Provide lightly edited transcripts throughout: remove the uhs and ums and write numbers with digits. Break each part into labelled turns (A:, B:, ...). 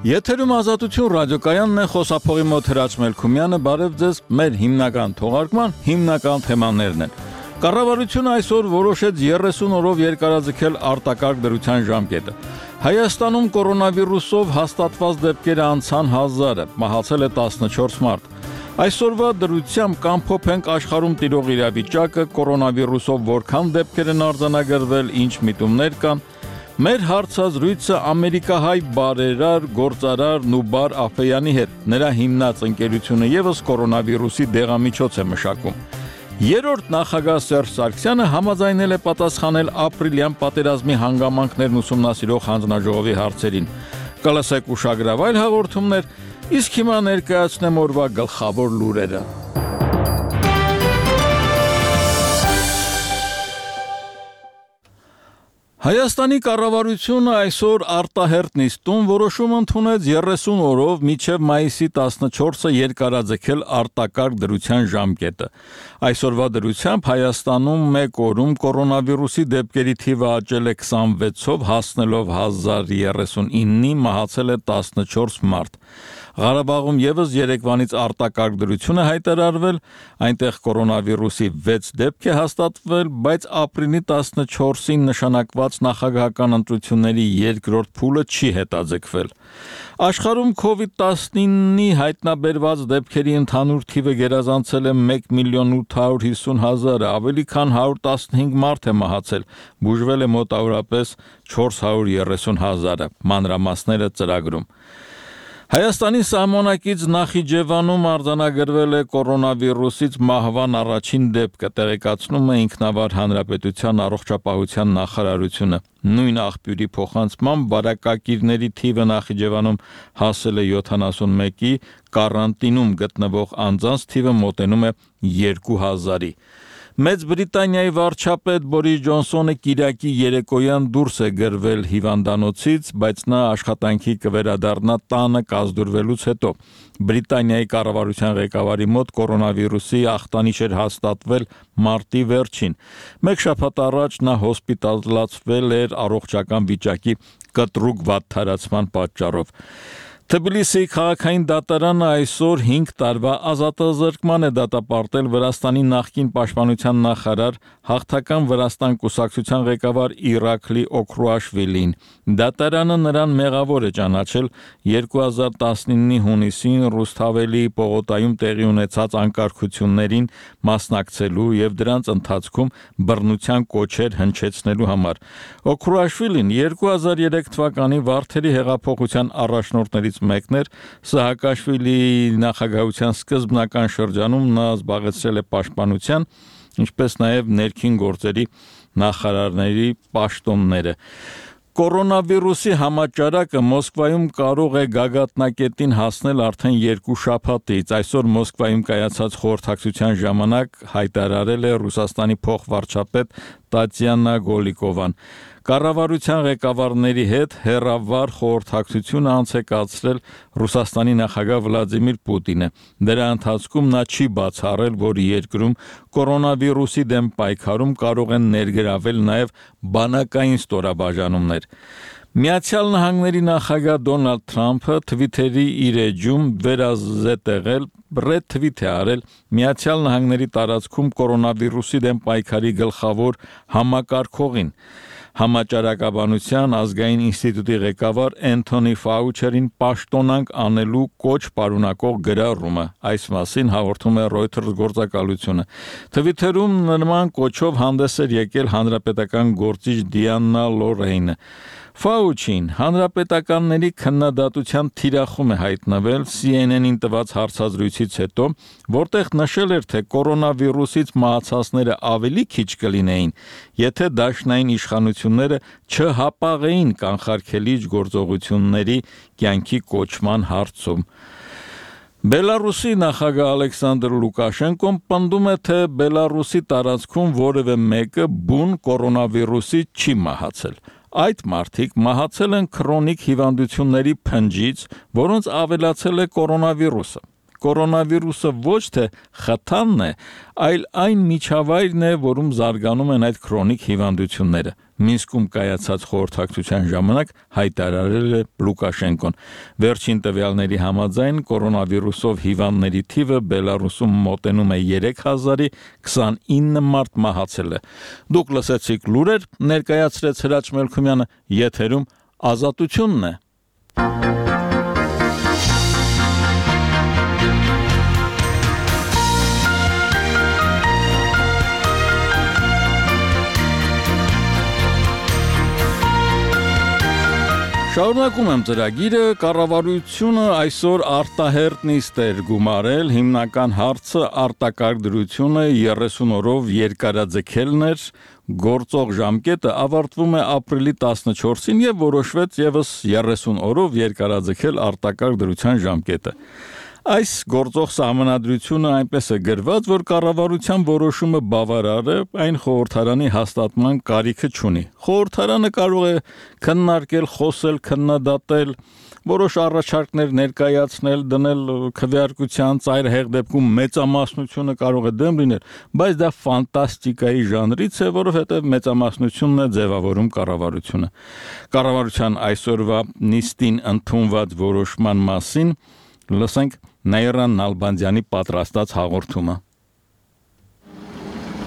A: Եթերում Ազատություն ռադիոկայանն է, խոսափողի մոտ Հրաչ Մելքումյանը, բարև ձեզ, մեր հիմնական թողարկման հիմնական թեմաներն են։ Կառավարությունը այսօր որոշեց 30 օրով երկարաձգել արտակարգ դրության ժամկետը։ Հայաստանում կորոնավիրուսով հաստատված դեպքերը անցան 1000-ը, մահացել է 14 մարդ։ Այսօրվա դրությամբ կամփոփենք աշխարհում տիրող իրավիճակը, կորոնավիրուսով որքան դեպքեր են արձանագրվել, ինչ միտումներ կան։ Մեր հարցազրույցը ամերիկահայ բարերար, գործարար Նուբար Աֆեյանի հետ, նրա հիմնած ընկերությունը ևս կորոնավիրուսի դեղամիջոց է մշակում։ Երրորդ նախագահ Սերժ Սարգսյանը համաձայնել է պատասխանել ապրիլյան պատերազմի հանգամանքներն ուսումնասիրող հանձնաժողովի հարցերին։ Կլսեք ուշագրավայր հաղորդումներ, իսկ հիմա ներկայացնեմ օրվա գլխավոր լուրերը։ Հայաստանի կառավարությունը այսօր արտահերթ նիստում որոշում ընդունեց 30 օրով մինչև մայիսի 14-ը երկարաձգել արտակարգ դրության ժամկետը։ Այսօրվա դրությամբ Հայաստանում մեկ օրում կորոնավիրուսի դեպքերի թիվը աճել է 26-ով, հասնելով 1039-ի, մահացել է 14 մարդ։ Ղարաբաղում ևս երեկվանից արտակարգ դրություն է հայտարարվել, այնտեղ կորոնավիրուսի 6 դեպք է հաստատվել, բայց ապրիլի 14-ին նշանակված նախագահական ընտրությունների երկրորդ փուլը չի հետաձգվել։ Աշխարհում COVID-19-ի հայտնաբերված դեպքերի ընդհանուր թիվը գերազանցել է 1,850,000-ը, ավելի քան 115 մարդ է մահացել, բուժվել է մոտավորապես 430,000-ը, մանրամասները ծրագրում։ Հայաստանի սահմանակից Նախիջևանում արձանագրվել է կորոնավիրուսից մահվան առաջին դեպքը, տեղեկացնում է Ինքնավար Հանրապետության առողջապահության նախարարությունը։ Նույն աղբյուրի փոխանցմամբ վարակակիրների թիվը Նախիջևանում հասել է 71-ի, կարանտինում գտնվող անձանց թիվը մոտենում է 2000-ի։ Մեծ Բրիտանիայի վարչապետ Բորիս Ջոնսոնը կիրակի երեկոյան դուրս է գրվել հիվանդանոցից, բայց նա աշխատանքի կվերադառնա տանը կազդուրվելուց հետո։ Բրիտանիայի կառավարության ղեկավարի մոտ կորոնավիրուսի ախտանիշ էր հաստատվել մարտի վերջին։ Մեկ շաբաթ առաջ նա հոսպիտալացվել էր առողջական վիճակի կտրուկ վատթարացման պատճառով։ Թբիլիսիի քաղաքային դատարանը այսօր 5 տարվա ազատազրկման է դատապարտել Վրաստանի նախկին պաշտպանության նախարար, հաղթական Վրաստան կուսակցության ղեկավար Իրաքլի Օքրուաշվիլին։ Դատարանը նրան մեղավոր է ճանաչել 2019-ի հունիսին Ռուսթավելի պողոտայում տեղի ունեցած անկարգություններին մասնակցելու եւ դրանց ընթացքում բռնության կոչեր հնչեցնելու համար։ Օքրուաշվիլին 2003 թվականի Վարդերի հեղափոխության առաջնորդներից մեկն էր, Սահակաշվիլիի նախագահության սկզբնական շրջանում նա զբաղեցրել է պաշտպանության, ինչպես նաև ներքին գործերի նախարարների պաշտոնները։ Կորոնավիրուսի համաճարակը Մոսկվայում կարող է գագաթնակետին հասնել արդեն 2 շաբաթից։ Այսօր Մոսկվայում կայացած խորհրդակցության ժամանակ հայտարարել է Ռուսաստանի փոխվարչապետ Տատյանա Գոլիկովան։ Կառավարության ղեկավարների հետ հեռավար խորհրդակցությունը անց է կացրել Ռուսաստանի նախագահ Վլադիմիր Պուտինը։ Դրա ընթացքում նա չի բացառել, որ երկրում կորոնավիրուսի դեմ պայքարում կարող են ներգրավել նաև բանակային ստորաբաժանումներ։ Միացյալ Նահանգների նախագահ Դոնալդ Թրամփը Թվիթերի իր էջում վերազետեղել ռեթվիթ է արել Միացյալ Նահանգների տարածքում կորոնավիրուսի դեմ պայքարի գլխավոր համակարգողին, Համաճարակաբանության ազգային ինստիտուտի ղեկավար Էնթոնի Ֆաուչերին պաշտոնանկ անելու կոչ պարունակող գրառումը։ Այս մասին հաղորդում է Reuters գործակալությունը։ Թվիթերում նման կոչով հանդես էր եկել հանրապետական գործիչ Դիանա Լորեյնը։ Ֆաուչին հանրապետականների քննադատության թիրախում է հայտնվել CNN-ին տված հարցազրույցից հետո, որտեղ նշել էր, թե կորոնավիրուսից մահացածները ավելի քիչ կլինեին, եթե դաշնային իշխանությունները չհապաղեին կանխարգելիչ գործողությունների կյանքի կոչման հարցում։ Բելարուսի նախագահ Ալեքսանդր Լուկաշենկոն պնդում է, թե Բելարուսի տարածքում որևէ մեկը բուն կորոնավիրուսի չի մահացել։ Այդ մարդիկ մահացել են քրոնիկ հիվանդությունների փնջից, որոնց ավելացել է կորոնավիրուսը։ կորոնավիրուսը ոչ թե խթանն է, այլ այն միջավայրն է, որում զարգանում են այդ քրոնիկ հիվանդությունները։ Մինսկում կայացած խորհրդակցության ժամանակ հայտարարել է Լուկաշենկոն։ Վերջին տվյալների համաձայն կորոնավիրուսով հիվանդների թիվը Բելարուսում մոտենում է 3000-ի, 29 մարդ մահացել է։ Դուք լսեցիք լուրեր, ներկայացրեց Հրաչ Մելքումյանը, եթերում Ազատությունն է։ Շարունակում եմ ծրագիրը, կառավարությունը այսօր արտահերտ նիստ էր գումարել, հիմնական հարցը արտակարգ դրությունը 30 օրով երկարաձգելն էր, գործող ժամկետը ավարտվում է ապրիլի 14-ին եւ որոշվեց եւս 30 օրով երկարաձգել արտակարգ դրության ժամկետը։ Այս գործող սահմանադրությունը այնպես է գրված, որ կառավարության որոշումը բավարար է, այն խորհրդարանի հաստատման կարիքը չունի։ Խորհրդարանը կարող է քննարկել, խոսել, քննադատել, որոշ առաջարկներ ներկայացնել, դնել քվեարկության ծայրահեղ դեպքում մեծամասնությունը կարող է դեմ լինել, բայց դա ֆանտաստիկայի ժանրից է, որովհետև մեծամասնությունն է ձևավորում կառավարությունը։ Կառավարության այսօրվա նիստին ընդունված որոշման մասին լսենք Նաիրա Նալբանդյանի պատրաստած հաղորդումը։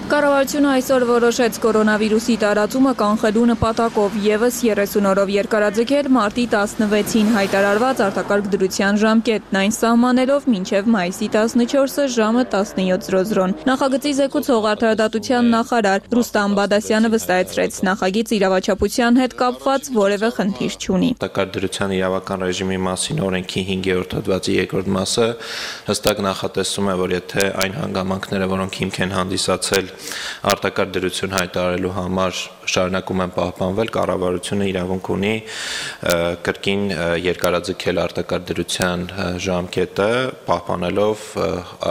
B: Կառավարությունը այսօր որոշեց կորոնավիրուսի տարածումը կանխելու նպատակով եւս 30 օրով երկարաձգել մարտի 16-ին հայտարարված արտակարգ դրության ժամկետն, այն սահմանելով մինչև մայիսի 14-ը ժամը 17:00-ն։ Նախագծի զեկուցող արդարադատության նախարար Ռուստամ Բադասյանը վստահեցրեց, նախագիծ իրավաչափության հետ կապված որևէ խնդիր չունի։
C: Արտակարգ դրության իրավական ռեժիմի մասին օրենքի 5-րդ հոդվածի 2-րդ մասը հստակ նախատեսում է, որ եթե այն հանգամանքները, որոնք հիմք են հանդիսացել արտակարգ դրություն հայտարարելու համար շարունակում են պահպանվել, կառավարությունը իրավունք ունի կրկին երկարաձգել արտակարգ դրության ժամկետը, պահպանելով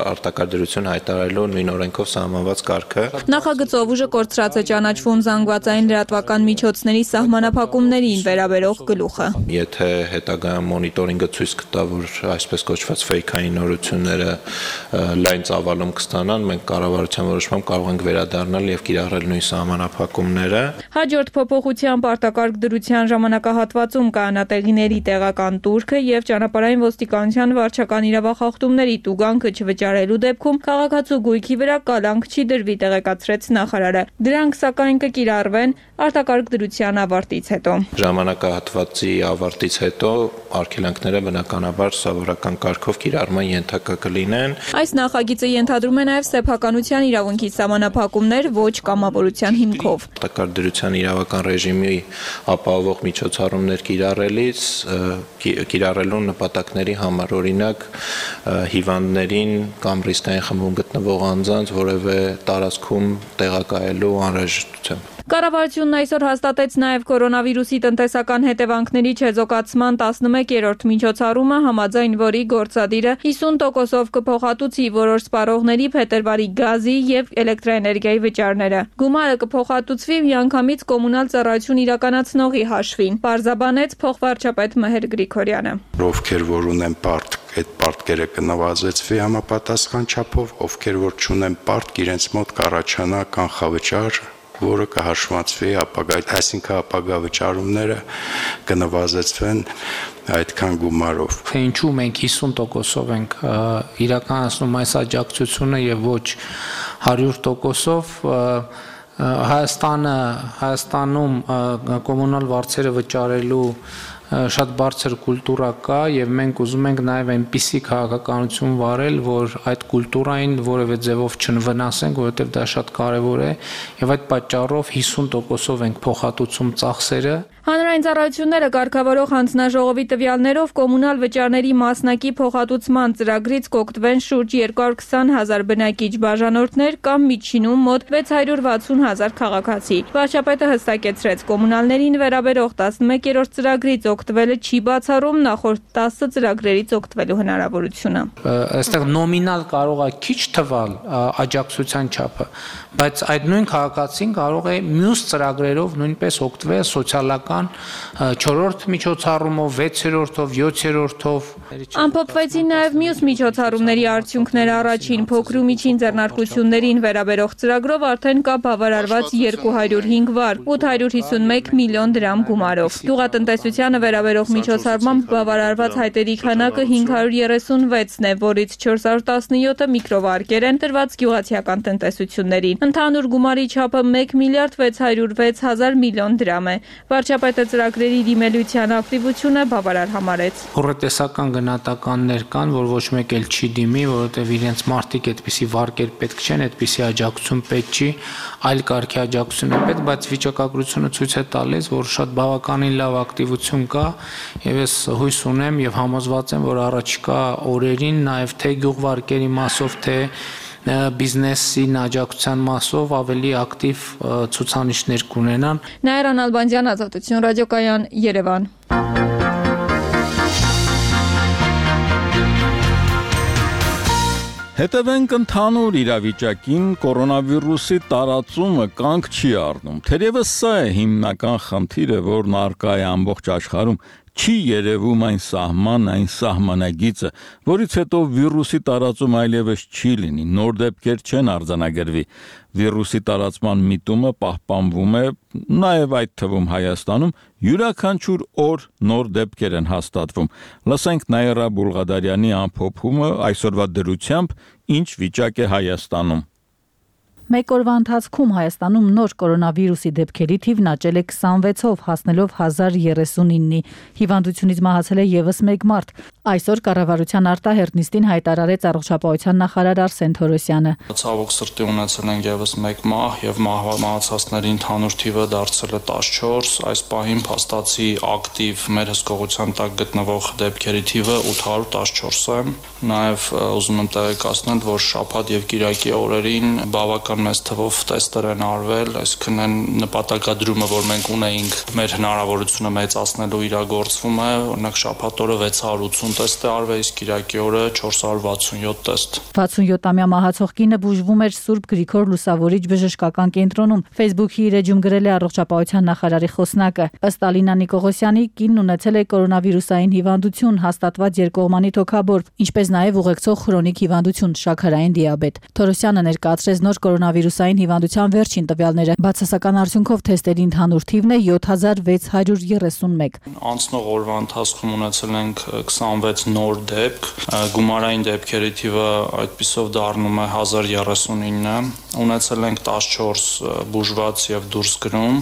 C: արտակարգ դրություն հայտարարելու նույն օրենքով սահմանված կարգը։
B: Նախագծով ուժը կորցրած է ճանաչվում զանգվածային լրատվական միջոցների սահմանափակումներին վերաբերող գլուխը։
C: Եթե հետագայում մոնիտորինգը ցույց կտա, որ այսպես կոչված ֆեյքային նորությունները լայն ծավալում կստանան, մենք կառավարության որոշմամբ կարող ենք վերադառնալ եւ կիրառել նույն սահմանափակումները։
B: Հաջորդ փոփոխությամբ արտակարգ դրության ժամանակահատվածում կանատեղիների տեղական турքը եւ ճանապարհային ոստիկանության վարչական իրավախախտումների տուգանքը չվճարելու դեպքում քաղաքացու գույքի վրա կալանք չի դրվի, տեղեկացրեց նախարարը։ Դրանք սակայն կկիրառվեն արտակարգ դրության ավարտից հետո։
C: Ժամանակահատվածի ավարտից հետո արգելանքները բնականաբար սովորական կարգով կիրառման ենթակա կլինեն։
B: Այս նախագիծը ենթադրում է նաեւ սեփականության իրավունքի սահմանափակումներ ոչ կամավորության հիմքով։
C: Արտակարգ դրության իրավական ռեժիմի ապահովող միջոցառումներ կիրառելու նպատակների համար, օրինակ հիվանդներին կամ ռիսկային խմբում գտնվող անձանց որևէ տարածքում տեղակայելու անհրաժեշտությամբ։
B: Կառավարությունն այսօր հաստատեց նաև կորոնավիրուսի տնտեսական հետևանքների չեզոքացման 11-րդ միջոցառումը, համաձայն որի գործադիրը 50%-ով կփոխհատուցի որոշ սպառողների փետրվարի գազի եւ էլեկտրաէներգիայի վճարները։ Գումարը կփոխհատուցվի միանգամից կոմունալ ծառայություն իրականացնողի հաշվին, պարզաբանեց փոխվարչապետ Մհեր Գրիգորյանը։
D: Ովքեր որ ունեն պարտք, այդ պարտքերը կնվազեցվի համապատասխան չափով, ովքեր որ չունեն պարտք, իրենց մոտ կառաջանա կանխավճար, որը կհաշվացվի ապագա, այսինքն ապագա վճարումները կնվազեցվեն այդքան գումարով։
E: Թե ինչու մենք 50%-ով ենք իրականացնում այս աջակցությունը եւ ոչ 100%-ով, Հայաստանում կոմունալ վարձերը վճարելու շատ բարձր կուլտուրա կա եւ մենք ուզում ենք նաեւ այնպիսի քաղաքականություն վարել, որ այդ կուլտուրային որևէ ձևով չվնասենք, որովհետեւ դա շատ կարեւոր է եւ այդ պատճառով 50%-ով ենք փոխհատուցում ծախսերը։
B: Հանրային ծառայությունները կարգավորող հանձնաժողովի տվյալներով կոմունալ վճարների մասնակի փոխհատուցման ծրագրից կօգտվեն շուրջ 220,000 բնակիչ բաժանորդներ կամ միջինում մոտ 660,000 քաղաքացի։ Վարչապետը հստակեցրեց, կոմունալներին վերաբերող 11-րդ ծրագրից օգտվելը չի բացառում նախորդ 10 ծրագրերից օգտվելու հնարավորությունը։
E: Այստեղ նոմինալ կարող է քիչ թվալ աջակցության չափը, բայց այդ նույն քաղաքացին կարող է մյուս ծրագրերով նույնպես օգտվել սոցիալական բավական 4-րդ միջոցառումով, 6-րդով, 7-րդով
B: Ամփոփվեցին նաև մյուս միջոցառումների արդյունքները առաջին փոքր ու միջին ձեռնարկություններին վերաբերող ծրագրով արդեն կա բավարարված 205 վար, 851 միլիոն դրամ գումարով։ Գյուղատնտեսությանը վերաբերող միջոցառմամբ բավարարված հայտերի քանակը 536-ն է, որից 417-ը միկրովարկեր են տրված գյուղացիական տնտեսություններին։ Ընդհանուր գումարի չափը 1 միլիարդ 606 հազար միլիոն դրամ է։ Վարչապետը ծրագրերի դիմելության ակտիվությունը բավարար համարեց։
E: Հոռետեսական գնահատականներ կան, որ ոչ մեկ էլ չի դիմի, որովհետև իրենց մարդիկ այդպիսի վարկեր պետք չեն, այդպիսի աջակցություն պետք չի, այլ կարգի աջակցություն է պետք, բայց վիճակագրությունը ցույց է տալիս, որ շատ բավականին լավ ակտիվություն կա, եւ ես հույս ունեմ եւ համոզված եմ, որ առաջիկա օրերին նաեւ թե գյուղվարկերի մասով, թե բիզնեսին աջակցության մասով ավելի ակտիվ ցուցանիշներ կունենան։
B: Նաիրա Նալբանդյան, Ազատություն ռադիոկայան, Երևան։
A: Հետևենք ընդհանուր իրավիճակին, կորոնավիրուսի տարածումը կանգ չի առնում։ Թերևս սա է հիմնական խնդիրը, որն առկա է ամբողջ աշխարհում։ Չի երևում այն սահման, այն սահմանագիծը, որից հետո վիրուսի տարածում այլևս չի լինի, նոր դեպքեր չեն արձանագրվի։ Վիրուսի տարածման միտումը պահպանվում է, նաև այդ թվում Հայաստանում, յուրաքանչյուր օր նոր դեպքեր են հաստատվում։ Լսենք Նաիրա Բուլղադարյանի ամփոփումը այսօրվա դրությամբ, ինչ վիճակ է Հայաստանում։
F: Մեկ օրվա ընթացքում Հայաստանում նոր կորոնավիրուսի դեպքերի թիվն աճել է 26-ով, հասնելով 1039-ի։ Հիվանդությունից մահացել է եւս մեկ մարդ։ Այսօր կառավարության արտահերթ նիստին հայտարարեց առողջապահության նախարար Արսեն Թորոսյանը։
G: Ցավոք սրտի ունեցել ենք եւս մեկ մահ եւ մահացածների ընդհանուր թիվը դարձել է 14։ Այս պահին փաստացի ակտիվ մեր հսկողության տակ գտնվող դեպքերի թիվը 814 է։ Նաեւ ուզում եմ տեղեկացնել, որ շաբաթ եւ կիրակի օրերին բավական մեծ թվով տեստեր են արվել, այսինքն այն նպատակադրումը, որ մենք ունեինք, մեր հնարավորությունը մեծացնելու իրագործվում է, օրինակ շաբաթ օրը 680 տեստ է արվել, իսկ կիրակի օրը 467 տեստ։
F: 67-ամյա մահացող կինը բուժվում էր Սուրբ Գրիգոր Լուսավորիչ բժշկական կենտրոնում։ Facebook-ի իր էջում գրել է առողջապահության նախարարի խոսնակը։ Ըստ Ալինա Նիկողոսյանի, կինն ունեցել է կորոնավիրուսային հիվանդություն, հաստատված երկկողմանի թոքաբորբ, ինչպես նաև ուղեկցող քրոնիկ հիվանդություն, շաքարային դիաբետ։ Թորոսյանը ներկայացրեց նոր կորոնավիրուսային հիվանդության վերջին տվյալները։ Բացասական արդյունքով թեստերի ընդհանուր թիվն է 7631։
G: Անցնող օրվա ընթացքում ունեցել ենք 26 նոր դեպք, գումարային դեպքերի թիվը այդպիսով դառնում է 1039-ը, ունեցել ենք 14 բուժված եւ դուրս գրում,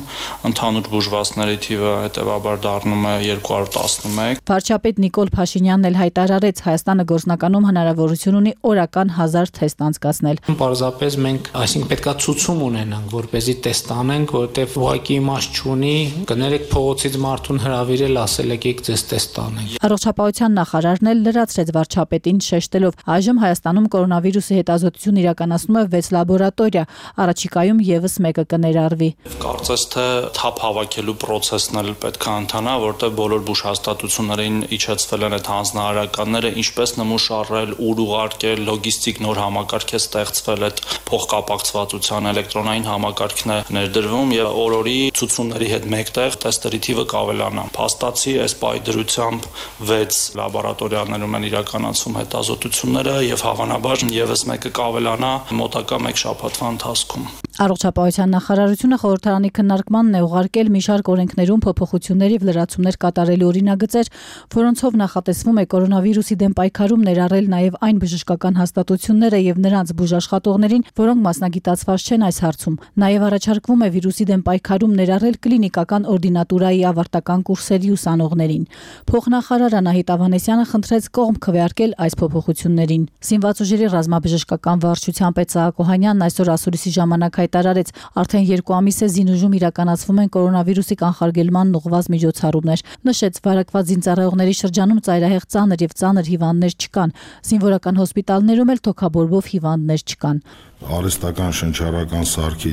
G: ընդհանուր բուժվածների թիվը հետեւաբար դառնում է 211։
F: Վարչապետ Նիկոլ Փաշինյանն էլ հայտարարեց, Հայաստանը գործնականում հնարավորություն ունի օրական 1000 թեստ անցկացնել։
E: Պարզապես մենք, այսինքն պետքա ցուցում ունենանք, որպեսզի տեստ անենք, որովհետև ուղղակի իմաստ չունի, կներեք փողոցից մարդուն հրավիրել, ասել եք ձեզ տեստ անենք։
F: Առողջապահության նախարարն էլ լրացրեց վարչապետին շեշտելով, այժմ Հայաստանում կորոնավիրուսի հետազոտություն իրականացնում է 6 լաբորատորիա, առաջիկայում եւս մեկը կներառվի։
G: Կարծես թե թափ հավաքելու process-ն էլ պետք է ընթանա, որտեղ բոլոր բուժհաստատություններին իջեցվել են այդ հանձնարարականները, ինչպես նմուշարել, ուր ուղարկել, լոգիստիկ նոր համակարգ է ստեղծվել, այդ փոխկապակցվածության էլեկտրոնային համակարգն է ներդրվում եւ օրորի ցուցումների հետ մեկտեղ տեստերի թիվը կավելանա։ Փաստացի այս պայդրությամբ 6 լաբորատորիաներում են իրականացվում հետազոտությունները եւ հավանաբար եւս մեկը կավելանա մոտակա 1 շաբաթվա ընթացքում։
F: Առողջապահության նախարարությունը խորհրդարանի քննարկմանն է ուղարկել մի շարք օրենքներում փոփոխություններ եւ լրացումներ կատարելու օրինագծեր, որոնցով նախատեսվում է կորոնավիրուսի դեմ պայքարում ներառել նաեւ այն բժշկական հաստատությունները եւ նրանց բուժաշխատողներին, որոնք մասնագիտացված չեն այս հարցում։ Նաեւ առաջարկվում է վիրուսի դեմ պայքարում ներառել կլինիկական օրդինատուրայի ավարտական կուրսերի ուսանողներին։ Փոխնախարար Անահիտ Ավանեսյանը խնդրեց կողմ քվեարկել այս փոփոխություններին։ Սինված ուժերի ռազմաբժշկական վարչության պետ Սահակ Օհանյանն այսօր ասուլիսի ժամանակ հայտարարեց, արդեն 2 ամիս է Զինուժում իրականացվում են կորոնավիրուսի կանխարգելման ուղղված միջոցառումներ։ Նշեց, վարակված զինծառայողների շրջանում ծայրահեղ ծանր եւ ծանր հիվանդներ չկան։ Զինվորական հոսպիտալներում էլ թոքաբորբով հիվանդներ չկան։
H: Արհեստական շնչառական սարքի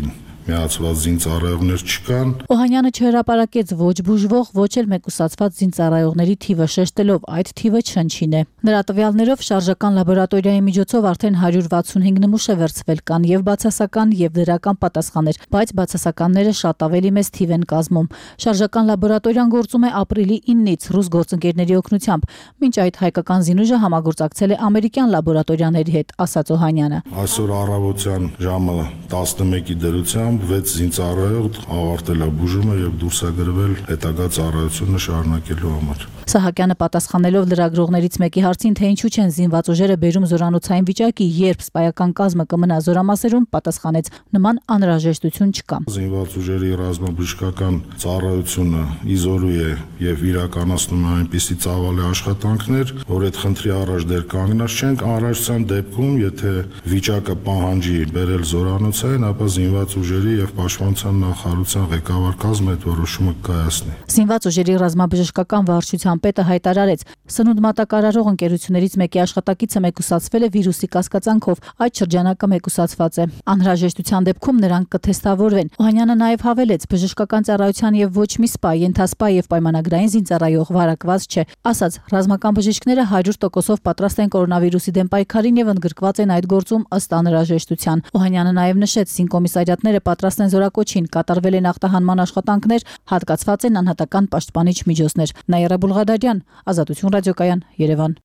H: միացված զինծառայողներ չկան։
F: Օհանյանը չհրապարակեց ոչ բուժվող, ոչ էլ մեկուսացված զինծառայողների թիվը, շեշտելով այդ թիվը չնչին է։ Նրա տվյալներով շարժական լաբորատորիայի միջոցով արդեն 165 նմուշ է վերցվել, կան եւ բացասական եւ դրական պատասխաններ, բայց բացասականները շատ ավելի մեծ թիվ են կազմում։ Շարժական լաբորատորիան գործում է ապրիլի 9-ից ռուս գործընկերների օգնությամբ։ Մինչ այդ հայկական զինուժը համագործակցել է ամերիկյան լաբորատորիաների հետ, ասաց Օհանյանը։
H: Այսօր առավոտյան ժամը 11-ի դրությամբ 6 զինծառայող ավարտել է բուժումը եւ դուրս է գրվել հետագա ծառայությունը շարունակելու համար։
F: Սահակյանը պատասխանելով լրագրողներից մեկի հարցին, թե ինչու չեն զինված ուժերը բերում զորանոցային վիճակի, երբ սպայական կազմը կմնա զորամասերում, պատասխանեց. նման անհրաժեշտություն չկա։
H: Զինված ուժերի ռազմաբժշկական ծառայությունը իզորու է եւ իրականացնում է այնպիսի ծավալի աշխատանքներ, որ այդ խնդրի առաջ դեռ կանգնած չենք։ Անհրաժեշտության դեպքում, եթե վիճակը պահանջի բերել զորանոցային, ապա զինված ուժերի եւ պաշտպանության նախարարության ղեկավար կազմը այդ որոշումը կայացնի։ Զինված ուժերի ռազմաբժշկական վարչության պետը հայտարարեց. սնունդ մատակարարող ընկերություններից մեկի աշխատակիցը մեկուսացվել է վիրուսի կասկածանքով, այդ շրջանակը մեկուսացված է։ Անհրաժեշտության դեպքում նրանք կթեստավորվեն։ Օհանյանը նաև հավելեց, բժշկական ծառայության եւ ոչ մի սպա, ենթասպա եւ պայմանագրային զինծառայող վարակված չէ։ Ասաց, ռազմական բժիշկները 100%-ով պատրաստ են կորոնավիրուսի դեմ պայքարին եւ ընդգրկված են այդ գործում ըստ անհրաժեշտության։ Օհանյանը նաև նշեց, զինկոմիսարիատները պատրաստ են զորակոչին, կատարվել են ախտահանման աշխատանքներ, հատկացված են անհատական պաշտպանիչ միջոցներ։ Նաիրա Բուլղադարյան, Ազատություն ռադիոկայան, Երևան։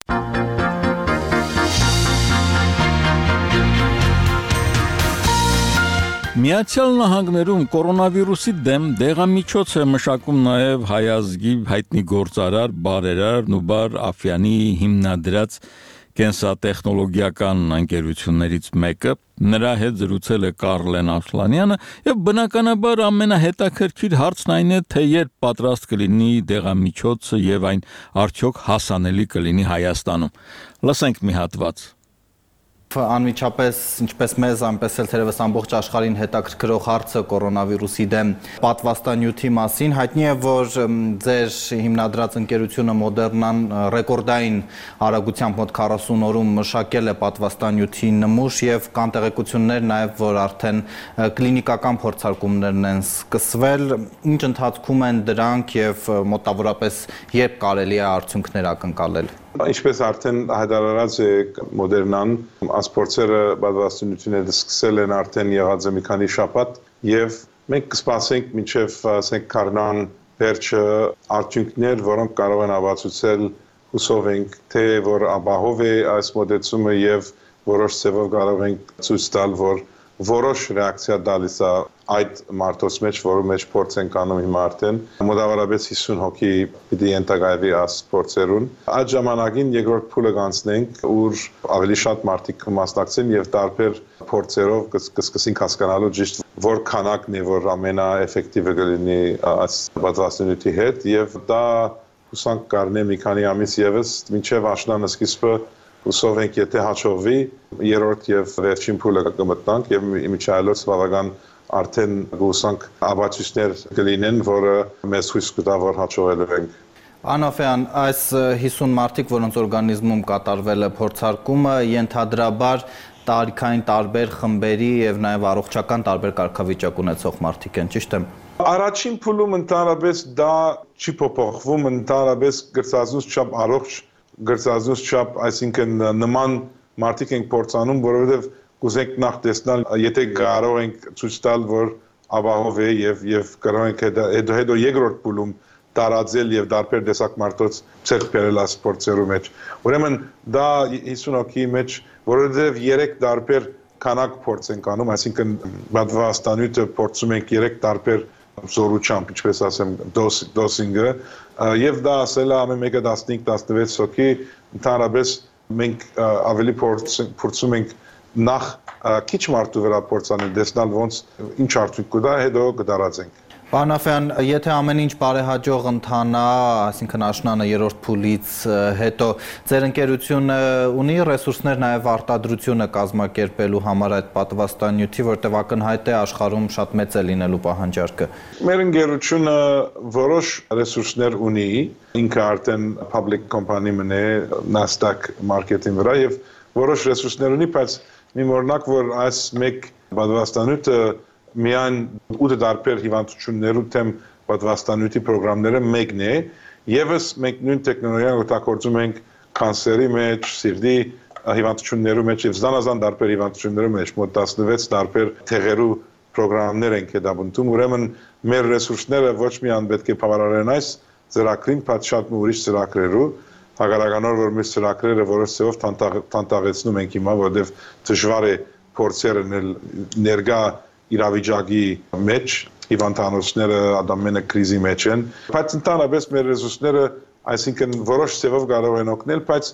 A: Միացյալ Նահանգներում կորոնավիրուսի դեմ դեղամիջոց է մշակում նաև հայ ազգի հայտնի գործարար, բարերար Նուբար Աֆյանի հիմնադրած կենսատեխնոլոգիական ընկերություններից մեկը, նրա հետ զրուցել է Կարլեն Ասլանյանը եւ բնականաբար ամենահետաքրքիր հարցն այն է, թե երբ պատրաստ կլինի դեղամիջոցը եւ այն արդյոք հասանելի կլինի Հայաստանում։ Լսենք մի հատված։
I: Անմիջապես ինչպես մեզ, այնպես էլ թերևս ամբողջ աշխարհին հետաքրքրող հարցը կորոնավիրուսի դեմ պատվաստանյութի մասին։ Հայտնի է, որ ձեր հիմնադրած ընկերությունը Մոդեռնան ռեկորդային արագությամբ մոտ 40 օրում մշակել է պատվաստանյութի նմուշ եւ կան տեղեկություններ նաեւ, որ արդեն կլինիկական փորձարկումներն են սկսվել։ Ինչ ընթացքում են դրանք եւ մոտավորապես երբ կարելի է արդյունքներ ակնկալել։
J: Ինչպես արդեն հայտարարած է Մոդեռնան, ասպորտերը պատվաստանյութները սկսել են արդեն եղած մի քանի շաբաթ եւ մենք կսպասենք մինչեւ ասենք Կարնան վերջը արդյունքներ, որոնք կարող են ապացուցել հուսով ենք, թե որ ապահով է այս մոդեցումը եւ որոշ ձևով կարող ենք ցույց տալ, որ որոշ ռեակցիա տալիս է այդ մարտոց մեջ, որի մեջ փորձ են կանում հիմա արդեն մոտավորապես 50 հոգի պիտի ենթակայվի ասպորտերուն։ Այդ ժամանակին երկրորդ փուլը կանցնենք, ուր ավելի շատ մարդիկ կմասնակցեն եւ տարբեր փորձերով կսկսենք հասկանալու ճիշտ որ քանակն է, որ ամենաէֆեկտիվը կլինի այս պատվաստանյութի հետ եւ դա հուսանք կառնե մի քանի ամիս եւս մինչեւ աշնանը սկիզբը Հուսով ենք, եթե հաջողվի, երրորդ եւ վերջին փուլը կմտնանք եւ միջայլոց բավական արդեն հուսանք ապացույցներ կլինեն, որը մեզ հույս կտա, որ հաջողելու ենք։
I: Անոֆյան, այս 50 մարդիկ, որոնց օրգանիզմում կատարվել է փորձարկումը, ենթադրաբար տարիքային տարբեր խմբերի եւ նաեւ առողջական տարբեր կարգավիճակ ունեցող մարդիկ են, ճիշտ եմ։
J: Առաջին փուլում ընդհանրապես դա չի փոփոխվում, ընդհանրապես գրծածուց չափ առողջ գրծածուց չափ, այսինքն նման մարդիկ ենք փորձանում, որովհետև կուզենք նախ տեսնել, եթե կարող ենք ցույց տալ, որ ապահով է եւ կարող ենք հետո երկրորդ փուլում տարածել եւ դարբեր տեսակ մարդոց ցերկ բերել ասպորտերու մեջ։ Ուրեմն դա 50 հոգի մեջ, որովհետև 3 դարբեր քանակ փորձ ենք անում, այսինքն պատվաստանյութը փորձում ենք 3 դարբեր զորությամբ, ինչպես ասեմ, դոսինգը եւ դա ասել է ամեն մեկը 15-16 հոգի, ընդհանրապես մենք ավելի փորձում ենք նախ քիչ մարդու վրա փորձանել, տեսնել ոնց ինչ արդյունք կտա, հետո կդարածենք։
I: Պարոն Աֆյան, եթե ամեն ինչ բարեհաջող ընթանա, այսինքն աշնանը երրորդ փուլից հետո ձեր ընկերությունը ունի ռեսուրսներ նաև արտադրությունը կազմակերպելու համար այդ պատվաստանյութի, որտեղ ակնհայտ է աշխարհում շատ մեծ է լինելու պահանջարկը։
J: Մեր ընկերությունը որոշ ռեսուրսներ ունի, ինքը արդեն public company մն է Nasdaq market-ի վրա եւ որոշ ռեսուրսներ ունի, բայց մի օրինակ որ այս մեկ պատվաստանյութը միայն 8 տարբեր հիվանդություններու թեմ պատվաստանյութի պրոգրամները մեկն է, եւս մենք նույն տեխնոլոգիան օգտագործում ենք կանսերի մեջ, սիրտի հիվանդություններու մեջ եւ զանազան տարբեր հիվանդություններու մեջ, մոտ 16 տարբեր թեղերու պրոգրամներ ենք հետապնդում, ուրեմն մեր ռեսուրսները ոչ միայն պետք է բավարարեն այս ծրագրին, բայց շատ ուրիշ ծրագրերու, հագարականոր որ մեր ծրագրերը որոշ ձևով տանտաղեցնում ենք հիմա, որովհետեւ դժվար է փորձերը ներգա իրավիճակի մեջ հիվանդանոցները ադամենը կրիզի մեջ են, բայց ընդհանրապես մեր ռեսուրսները, այսինքն որոշ ձևով կարող են օգնել, բայց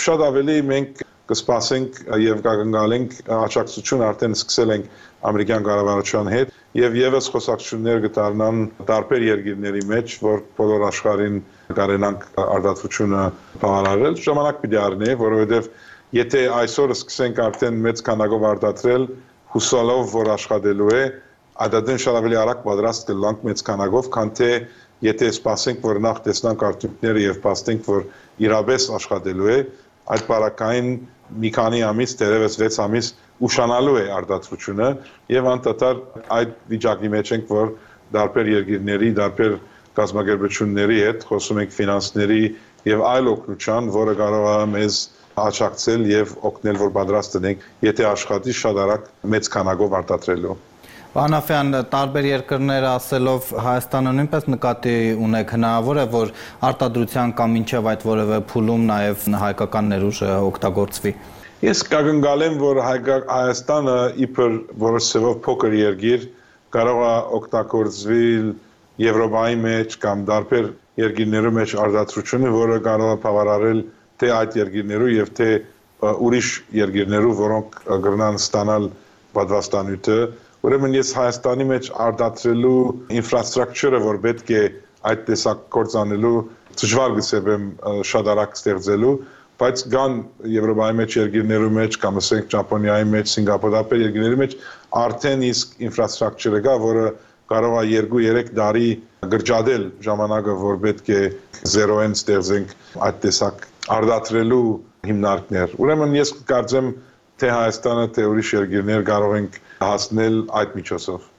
J: շատ ավելի մենք կսպասենք եւ կգնալենք աջակցություն արդեն սկսել ենք ամերիկյան կառավարության հետ եւ եւս խոսակցություններ կդառնան տարբեր երկրների մեջ, որ բոլոր աշխարհին կարենանք արտադրությունը բավարարել, ժամանակ պիտի առնի, որովհետեւ եթե այսօր սկսենք արդեն մեծ քանակով արտադրել, հուսալով որ աշխատելու է, ադադեն շատ ավելի արագ պատրաստ կլանք մեծ քանակով, քան թե եթե սպասենք որ նախ տեսնանք արդյունքները եւ փաստենք որ իրապես աշխատելու է, այդ բարակային մի քանի ամիս, դերևս 6 ամիս ուշանալու է արտադրությունը եւ անդադար այդ վիճակի մեջ ենք, որ տարբեր երկրների, տարբեր կազմակերպությունների հետ խոսում ենք ֆինանսների եւ այլ օգնության, որը կարող է մեզ աջակցել եւ օգնել, որ պատրաստ լինենք, եթե աշխատի շատ արագ մեծ քանակով արտադրելու։
I: Վահանաֆյան, տարբեր երկրները ասելով Հայաստանը նույնպես նկատի ունեք, հնարավոր է, որ արտադրության կամ մինչև այդ որևէ փուլում նաև հայկական ներուժը օգտագործվի։
J: Ես կգնգալեմ, որ Հայաստանը իբր որոշ ձևով փոքր երկիր կարող է օգտագործվել Եվրոպայի մեջ կամ տարբեր երկրներու մեջ արտադրությունը, որը կարող է բավարարել թե այդ երկրներու եւ թե ուրիշ երկրներու, որոնք կգրնան ստանալ պատվաստանյութը։ Ուրեմն ես Հայաստանի մեջ արտադրելու ինֆրաստրուկտուրը, որ պետք է այդ տեսակ կործանելու դժվար գսեմ շատ արագ ստեղծելու, բայց կան Եվրոպայի մեջ երկրներու մեջ, կամ ասենք Ճապոնիայի մեջ, Սինգապուրի երկրների մեջ արդեն իսկ ինֆրաստրուկտուրը կա, որը կարող է 2-3 տարի գրճադել ժամանակը, որ պետք է զերոեն ստեղծենք այդ տեսակ արտադրելու հիմնարկներ։ Ուրեմն ես կարծեմ թե Հայաստանը, թե ուրիշ երկրներ կարող ենք հասնել այդ միջոցով։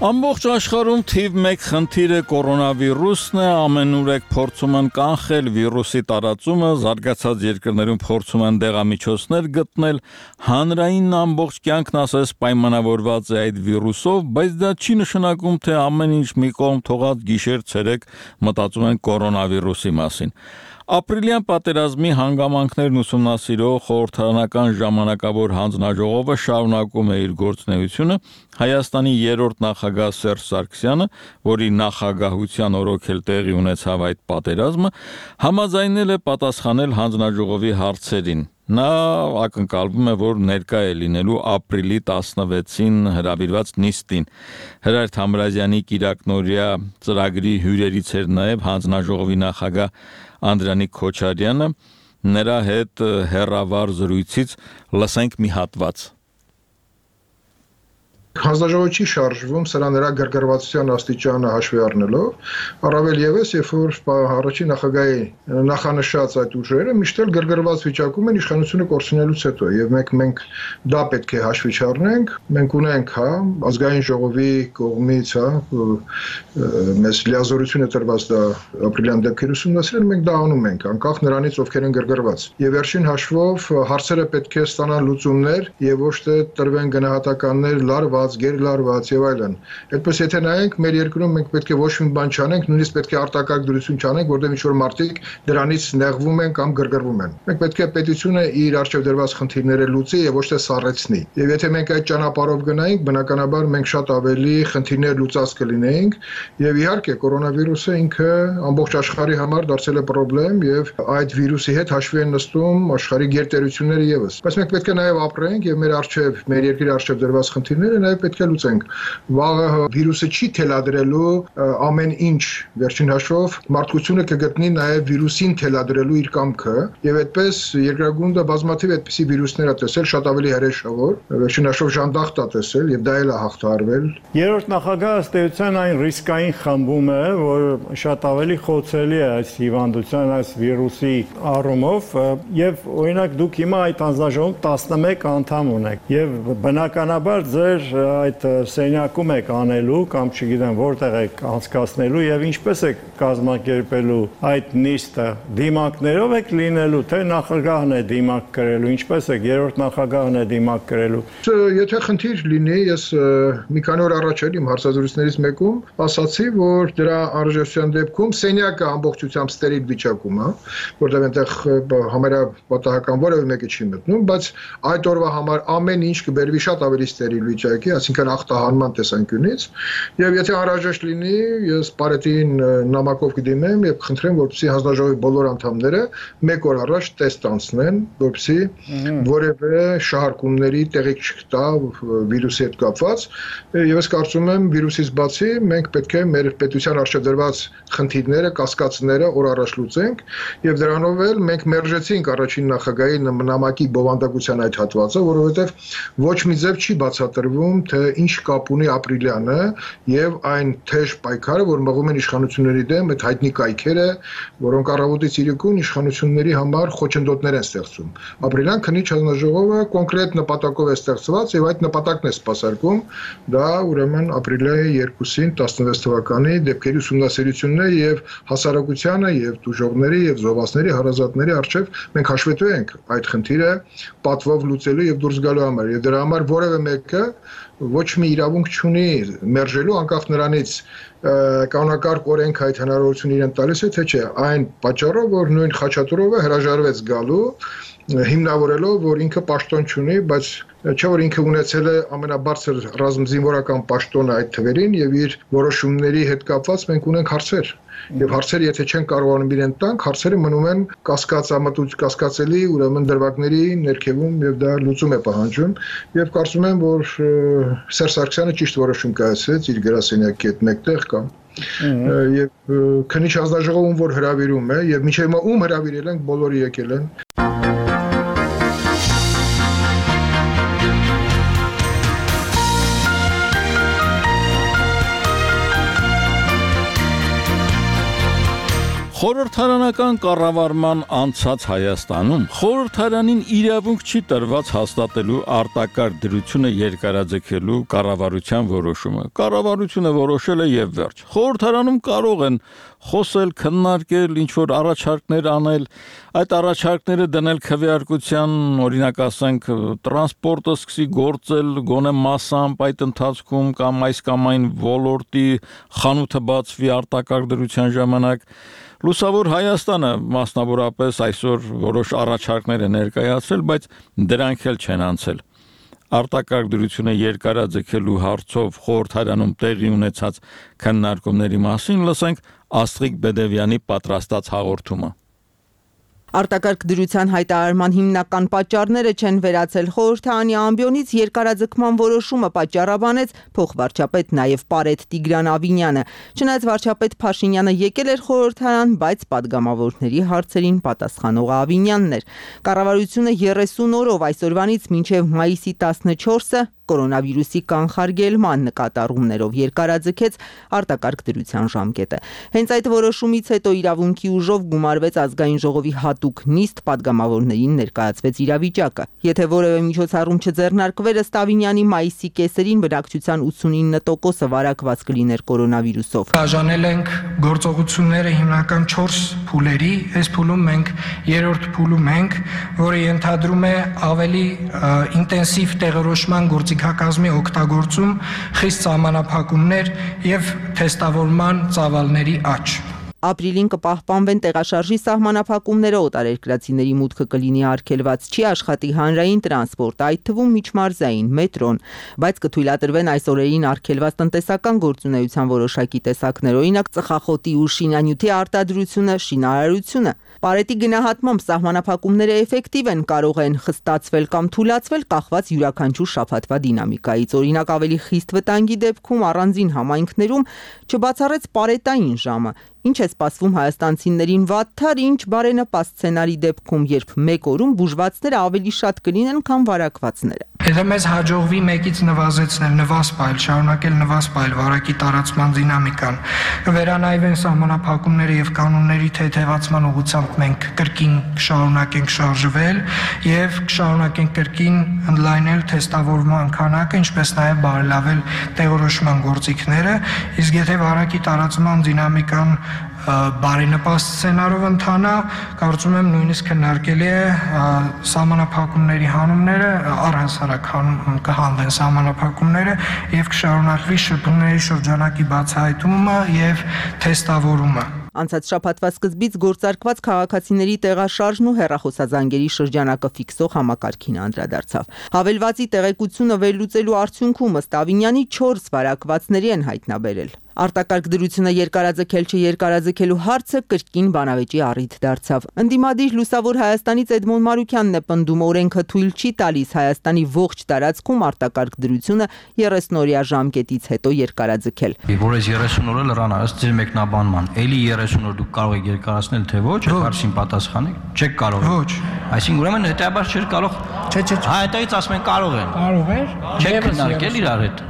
A: Ամբողջ աշխարհում թիվ 1 խնդիրը կորոնավիրուսն է, ամենուրեք փորձում են կանխել վիրուսի տարածումը, զարգացած երկրներում փորձում են դեղամիջոցներ գտնել, հանրային ամբողջ կյանքն ասես պայմանավորված է այդ վիրուսով, բայց դա չի նշանակում, թե ամեն ինչ մի կողմ թողած գիշեր-ցերեկ մտածում են կորոնավիրուսի մասին։ Ապրիլյան պատերազմի հանգամանքներն ուսումնասիրող խորհրդարանական ժամանակավոր հանձնաժողովը շարունակում է իր գործունեությունը, Հայաստանի 3-րդ նախագահ Սերժ Սարգսյանը, որի նախագահության օրոք էլ տեղի ունեցավ այդ պատերազմը, համաձայնել է պատասխանել հանձնաժողովի հարցերին։ Նա ակնկալվում է, որ ներկա է լինելու ապրիլի 16-ին հրավիրված նիստին։ Հրայր Թամրազյանի կիրակնօրյա ծրագրի հյուրերից էր նաև հանձնաժողովի նախագահ Անդրանիկ Քոչարյանը, նրա հետ հեռավար զրույցից լսենք մի հատված։
K: Հանձնաժողովը չի շարժվում սրա նրա գրգռվածության աստիճանը հաշվի առնելով, առավել ևս, երբ որ առաջին նախագահի նախանշած այդ ուժերը միշտ էլ գրգռված վիճակում են իշխանությունը կորցնելուց հետո, եւ մենք դա պետք է հաշվի չառնենք, մենք ունենք, ազգային ժողովի կողմից, մեզ լիազորություն է տրված դա ապրիլյան դեպքեր ուսումնասիրել, մենք դա անում ենք, անկախ նրանից ովքեր են գրգռված։ Եվ վերջին հաշվով հարցերը պետք է ստանան լուծումներ եւ ոչ թե տրվեն գնահատականներ լարված, գերլարված եւ այլն։ Այդպես եթե նայենք, մեր երկրում մենք պետք է ոչ մի բան չանենք, նույնիսկ պետք է արտակարգ դրություն չանենք, որտեղ ինչ-որ մարդիկ դրանից նեղվում են կամ գրգռվում են։ Մենք պետք է պետությունը իր արժեվ դրված խնդիրները լուծի եւ ոչ թե սառեցնի։ Եվ եթե մենք այդ ճանապարհով գնայինք, բնականաբար մենք շատ ավելի խնդիրներ լուծած կլինեինք եւ իհարկե կորոնավիրուսը ինքը ամբողջ աշխարհի համար դարձել է խնդրեմ եւ այդ վիրուսի հետ հաշվի են նստում աշխարհի գերտերությունները եւս։ Բայց մենք պետք է նաեւ ապրենք եւ մեր արժեվ, մեր երկրի արժեվ դրված խնդիրները նաև պետք է լուծենք։ Վաղը վիրուսը չի թելադրելու ամեն ինչ, վերջին հաշվով մարդկությունը կգտնի նաև վիրուսին թելադրելու իր կամքը, եւ այդպես երկրագունդը բազմաթիվ այդպիսի վիրուսներ է տեսել, շատ ավելի հրեշավոր, վերջին հաշվով ժանդախտ է տեսել եւ դա էլ է հաղթահարվել։
L: Երրորդ նախագահը ըստ էության այն ռիսկային խմբում է, որ շատ ավելի խոցելի է այս հիվանդության, այս վիրուսի առումով, եւ օրինակ դուք հիմա այդ հանձնաժողովում 11 անդամ ունեք եւ բնականաբար ձեր այդ սենյակում եք անելու կամ չգիտեմ որտեղ եք անցկացնելու եւ ինչպես եք կազմակերպելու այդ նիստը, դիմակներով եք լինելու, թե նախագահն է դիմակ կրելու, ինչպես եք երրորդ նախագահն է դիմակ կրելու։
K: Եթե խնդիր լինի, ես մի քանի օր առաջ իմ հարցազրույցներից մեկում ասացի, որ դրա անհրաժեշտության դեպքում սենյակը ամբողջությամբ ստերիլ վիճակում է, որտեղ այնտեղ համարյա պատահական որևէ մեկը չի մտնում, բայց այդ օրվա համար ամեն ինչ կբերվի շատ ավելի ստերիլ վիճակի, այսինքն ախտահանման տեսանկյունից, եւ եթե անհրաժեշտ լինի, ես Պարետին նամակով կդիմեմ եւ կխնդրեմ, որպեսզի հանձնաժողովի բոլոր անդամները մեկ օր առաջ տեստ անցնեն, որպեսզի որևէ շահարկումների տեղիք չկա վիրուսի հետ կապված, եւ ես կարծում եմ վիրուսից բացի մենք պետք է մեր պետության առջեւ դրված խնդիրները, կասկածները օր առաջ լուծենք եւ դրանով էլ մենք մերժեցինք առաջին նախագահի նամակի բովանդակության այդ հատվածը, որովհետեւ ոչ մի ձև չի բացատրվում, թե ինչ կապ ունի Ապրիլյանը եւ այն թեժ պայքարը, որ մղում են իշխանությունների դեմ, այդ հայտնի կայքերը, որոնք առավոտից իրիկուն իշխանությունների համար խոչընդոտներ են ստեղծում։ Ապրիլյան քննիչ հանձնաժողովը կոնկրետ նպատակով է ստեղծված եւ այդ նպատակն է սպասարկում, դա ուրեմն ապրիլի 2-ին 16 թվականի դեպքերի ուսումնասիրությունն է եւ հասարակությանը եւ դժողների եւ զովասների հարազատների արչեւ մենք հաշվետու ենք այդ խնդիրը պատվով լուծելու եւ դուրս գալու համար եւ դրա համար որևէ մեկը ոչ մի իրավունք չունի մերժելու անկախ նրանից կանոնակարգ օրենք այդ հնարավորությունը իրեն տալիս է թե չէ այն պատճառով որ նույն Խաչատուրովը հրաժարվեց գալու հիմնավորելով որ ինքը պաշտոն չունի բայց չէ որ ինքը ունեցել է ամենաբարձր ռազմզինվորական պաշտոնը այդ թվերին եւ իր որոշումների հետ կապված մենք ունենք հարցեր եւ հարցերը եթե չեն կարողանում իրեն տանք հարցերը մնում են կասկածելի ուրեմն դրվագների ներքևում եւ դա լուծում է պահանջում եւ կարծում եմ որ Սերժ Սարգսյանը ճիշտ որոշում կայացրեց իր գրասենյակի հետ մեկտեղ կամ եւ քննիչ հանձնաժողովում որ հրավիրում է եւ մինչեւ հիմա ում հրավիրել են բոլորը եկել են
A: Խորհրդարանական կառավարման անցած Հայաստանում խորհրդարանին իրավունք չի տրված հաստատելու արտակարգ դրությունը երկարաձգելու կառավարության որոշումը։ Կառավարությունը որոշել է եւ վերջ։ Խորհրդարանում կարող են խոսել, քննարկել, ինչ որ առաջարկներ անել, այդ առաջարկները դնել քվեարկության, օրինակ ասենք, տրանսպորտը սկսի գործել գոնե մասամբ այդ ընթացքում կամ այս կամ այն ոլորտի խանութը բացվի արտակարգ դրության ժամանակ Լուսավոր Հայաստանը մասնավորապես այսօր որոշ առաջարկներ է ներկայացրել, բայց դրանք էլ չեն անցել։ Արտակարգ դրությունը երկարաձգելու հարցով խորհրդարանում տեղի ունեցած քննարկումների մասին լսենք Աստղիկ Բեդևյանի պատրաստած հաղորդումը։
M: Արտակարգ դրության հայտարարման հիմնական պատճառները չեն վերացել խորհրդարանի ամբիոնից երկարաձգման որոշումը պատճառաբանեց փոխվարչապետ նաև Պարետ Տիգրան Ավինյանը։ Չնայած վարչապետ Փաշինյանը եկել էր խորհրդարան, բայց падգամավորների հարցերին պատասխանողը Ավինյանն էր։ Կառավարությունը 30 օրով այսօրվանից մինչև մայիսի 14-ը կորոնավիրուսի կանխարգելման նկատառումներով երկարաձգեց արտակարգ դրության ժամկետը։ Հենց այդ որոշումից հետո իրավունքի ուժով գումարվեց ազգային ժողովի հատուկ նիստ, падգամավորներին ներկայացվեց իրավիճակը։ Եթե որևէ միջոցառում չձեռնարկվեր ըստ Ավինյանի մայիսի կեսերին բնակչության 89%-ը վարակված կլիներ կորոնավիրուսով։
N: Բաժանել ենք գործողությունները հիմնական 4 փուլերի, այս փուլում մենք երրորդ փուլում ենք, որը ենթադրում է ավելի ինտենսիվ տեղորոշման գործիքակազմի օգտագործում, խիստ սահմանափակումներ եւ թեստավորման ծավալների աճ։
M: Ապրիլին կպահպանվեն տեղաշարժի սահմանափակումները, օտարերկրացիների մուտքը կլինի արգելված, չի աշխատի հանրային տրանսպորտը, այդ թվում միջմարզային, մետրոն, բայց կթույլատրվեն այս օրերին արգելված տնտեսական գործունեության որոշակի տեսակներ, օրինակ ծխախոտի ու շինանյութի արտադրությունը, շինարարությունը։ Պարետի գնահատմամբ սահմանափակումները էֆեկտիվ են, կարող են խստացվել կամ թուլացվել կախված յուրաքանչյուր շաբաթվա դինամիկայից։ Օրինակ ավելի խիստ վտանգի դեպքում առանձին համայնքներում չբացառեց պարետային ժամը, ինչ է սպասվում հայաստանցիներին վատթար, ինչ բարենպաստ սցենարի դեպքում, երբ մեկ օրում բուժվածները ավելի շատ կլինեն, քան վարակվածները։
N: Եթե մեզ հաջողվի մեկից նվազեցնել, նվազպայել, շարունակել նվազպայել վարակի տարածման դինամիկան, կվերանայվեն սահմանափակումները եւ կանոնների թեթևացման ուղղությամբ մենք կրկին կշարունակենք շարժվել եւ կշարունակենք կրկին ընդլայնել թեստավորման քանակը, ինչպես նաեւ բարելավել տեղորոշման գործիքները, իսկ եթե վարակի տարածման դինամիկան բարենպաստ սցենարով ընթանա, կարծում եմ նույնիսկ քննարկելի է սահմանափակումների հանումները, առհասարակ կհանվեն սահմանափակումները եւ կշարունակվի շփումների շրջանակի բացահայտումը եւ թեստավորումը։
M: Անցած շաբաթվա սկզբից գործարկված քաղաքացիների տեղաշարժն ու հեռախոսազանգերի շրջանակը ֆիքսող համակարգին անդրադարձավ։ Հավելվածի տեղեկությունը վերլուծելու արդյունքում ըստ Ավինյանի 4 վարակվածների են հայտնաբերել։ Արտակարգ դրությունը երկարաձգել չերկարաձգելու հարցը կրկին բանավեճի առիթ դարձավ։ Ընդդիմադիր Լուսավոր Հայաստանից Էդմոն Մարուկյանն է պնդում, օրենքը թույլ չի տալիս Հայաստանի ողջ տարածքում արտակարգ դրությունը 30-օրյա ժամկետից հետո երկարաձգել։
O: Որ այս 30 օրը լրան ըստ ձեր մեկնաբանման, էլի 30 օր դուք կարող եք երկարացնել թե ոչ, հարցին պատասխանեք, չեք կարող։ Ոչ։ Այսինքն ուրեմն հետեւաբար չէր կարող։ Չէ։ Հայտարարից ասում են կարող են։
N: Կարող է։
O: Չեք քննարկել իրար հետ։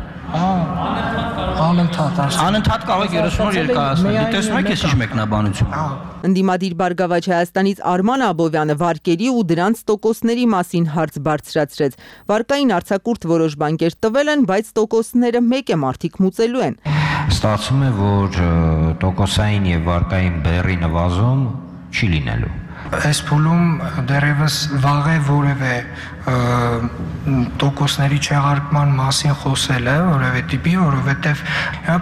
N: Անընդհատ
O: կարող եք 30 օր երկարացնել։ Դե տեսնում եք էս ինչ մեկնաբանություն։
M: Ընդդիմադիր Բարգավաճ Հայաստանից Արման Աբովյանը վարկերի ու դրանց տոկոսների մասին հարց բարձրացրեց։ Վարկային արձակուրդ որոշ բանկեր տվել են, բայց տոկոսները մեկ է մարդիկ մուծելու են։
O: Ստացվում է, որ տոկոսային եւ վարկային բեռի նվազում չի լինելու։
N: Այս փուլում դեռևս վաղ է որևէ տոկոսների չեղարկման մասին խոսելը, որևէ տիպի, որովհետև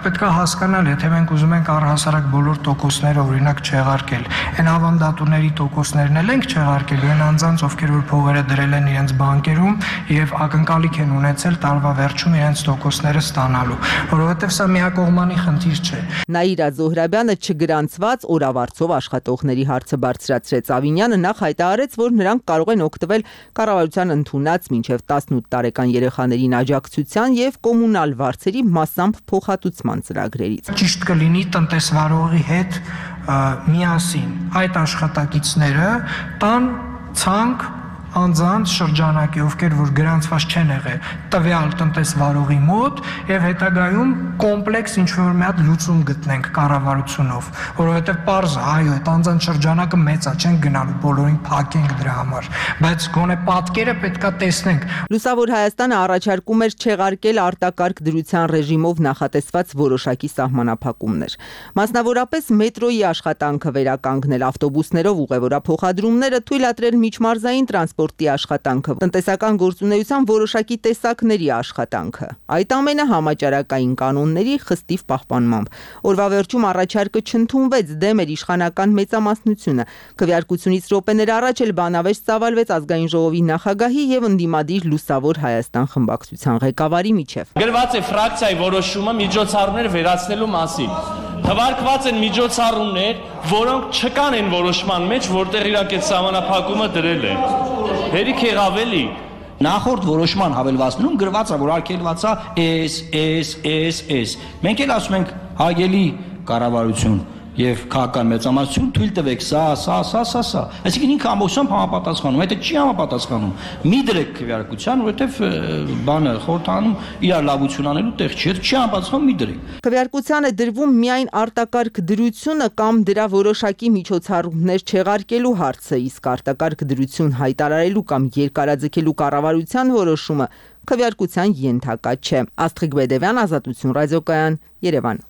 N: պետք է հասկանալ, եթե մենք ուզում ենք առհասարակ բոլոր տոկոսները օրինակ չեղարկել, այն ավանդատուների տոկոսներն էլ ենք չեղարկելու, այն անձանց, ովքեր որ փողերը դրել են իրենց բանկերում եւ ակնկալիք են ունեցել տարվա վերջում իրենց տոկոսները ստանալու, որովհետև սա միակողմանի խնդիր չէ։
M: Նաիրա Զոհրաբյանը չգրանցված օրավարձով աշխատողների հարցը բարձրացրեց։ Ավինյանը նախ հայտարարեց, որ նրանք կարող են օգտվել կառավարության ընդունած մինչև 18 տարեկան երեխաներին աջակցության եւ կոմունալ վարձերի մասամբ փոխհատուցման ծրագրերից։
N: Ճիշտ կլինի տնտեսվարողի հետ միասին այդ աշխատակիցները տան ցանկ անձանց շրջանակի, ովքեր որ գրանցված չեն եղել տվյալ տնտեսվարողի մոտ եւ հետագայում կոմպլեքս ինչ-որ մի հատ լուծում գտնենք կառավարությունով, որովհետեւ պարզ է, այո, այդ անձանց շրջանակը մեծ է, չենք գնալու բոլորին փակենք դրա համար, բայց գոնե պատկերը պետքա տեսնենք։
M: Լուսավոր Հայաստանը առաջարկում էր չեղարկել արտակարգ դրության ռեժիմով նախատեսված որոշակի սահմանափակումներ։ Մասնավորապես մետրոյի աշխատանքը վերականգնել, ավտոբուսներով ուղևորափոխադրումները թույլատրել միջմարզային տրանսպորտի աշխատանքը, տնտեսական գործունեության որոշակի տեսակների աշխատանքը։ Այդ ամենը համաճարակային կանոնների խստիվ պահպանմամբ։ Օրվա վերջում առաջարկը չընդունվեց, դեմ էր իշխանական մեծամասնությունը։ Քվեարկությունից րոպեներ առաջ էլ բանավեճ ծավալվեց ազգային ժողովի նախագահի եւ ընդդիմադիր Լուսավոր Հայաստան խմբակցության ղեկավարի միջև։
P: Գրված է ֆրակցիայի որոշումը միջոցառումներ վերացնելու մասին։ Թվարկված են միջոցառումներ, որոնք չկան են որոշման մեջ, որտեղ իրաք այդ սահմանափակումը դրել են։ Հերիք եղավ էլի։
O: Նախորդ որոշման հավելվածներում գրված է, որ արգելված է S։ Մենք էլ ասում ենք հարգելի կառավարություն եւ քաղաքական մեծամասնություն թույլ տվեք սա։ Այսինքն ինքը ամբողջությամբ համապատասխանում, եթե չի համապատասխանում, մի դրեք քվեարկության, որովհետեւ բանը խորհրդանում իրար լավություն անելու տեղ չի, չի համապատասխանում, մի դրեք։
M: Քվեարկության է դրվում միայն արտակարգ դրությունը կամ դրա որոշակի միջոցառումներ չեղարկելու հարցը, իսկ արտակարգ դրություն հայտարարելու կամ երկարաձգելու կառավարության որոշումը քվեարկության ենթակա չէ։ Աստղիկ Բեդևյան, Ազատություն ռադիոկայան, Երևան։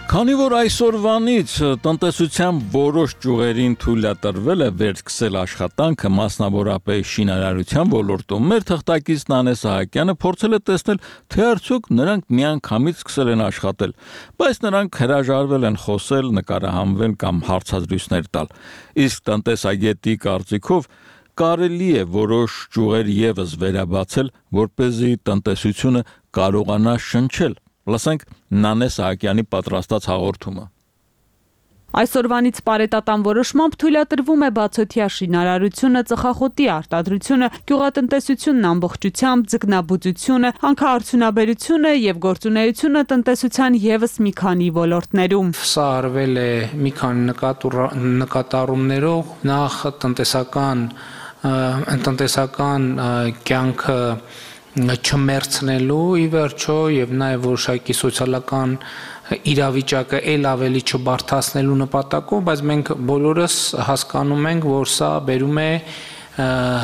A: Քանի որ այսօրվանից տնտեսության որոշ ճյուղերին թույլատրվել է վերսկսել աշխատանքը, մասնավորապես շինարարության ոլորտում, մեր թղթակից Նանե Սահակյանը փորձել է տեսնել, թե արդյոք նրանք միանգամից սկսել են աշխատել, բայց նրանք հրաժարվել են խոսել, նկարահանվել կամ հարցազրույցներ տալ։ Իսկ տնտեսագետի կարծիքով կարելի է որոշ ճյուղեր եւս վերաբացել, որպեսզի տնտեսությունը կարողանա շնչել։ Լսենք Նանե Սահակյանի պատրաստած հաղորդումը։
Q: Այսօրվանից պարետատան որոշմամբ թույլատրվում է բացօթյա շինարարությունը, ծխախոտի արտադրությունը, գյուղատնտեսությունն ամբողջությամբ, ձկնաբուծությունը, հանքարդյունաբերությունը եւ գործունեությունը տնտեսության եւս մի քանի ոլորտներում։
E: Սա արվել է մի քանի նկատառումներով, նախ տնտեսական կյանքը չմերցնելու ի վերջո եւ նաեւ որոշակի սոցիալական իրավիճակը ել ավելի չբարթացնելու նպատակով, բայց մենք բոլորս հասկանում ենք, որ սա բերում է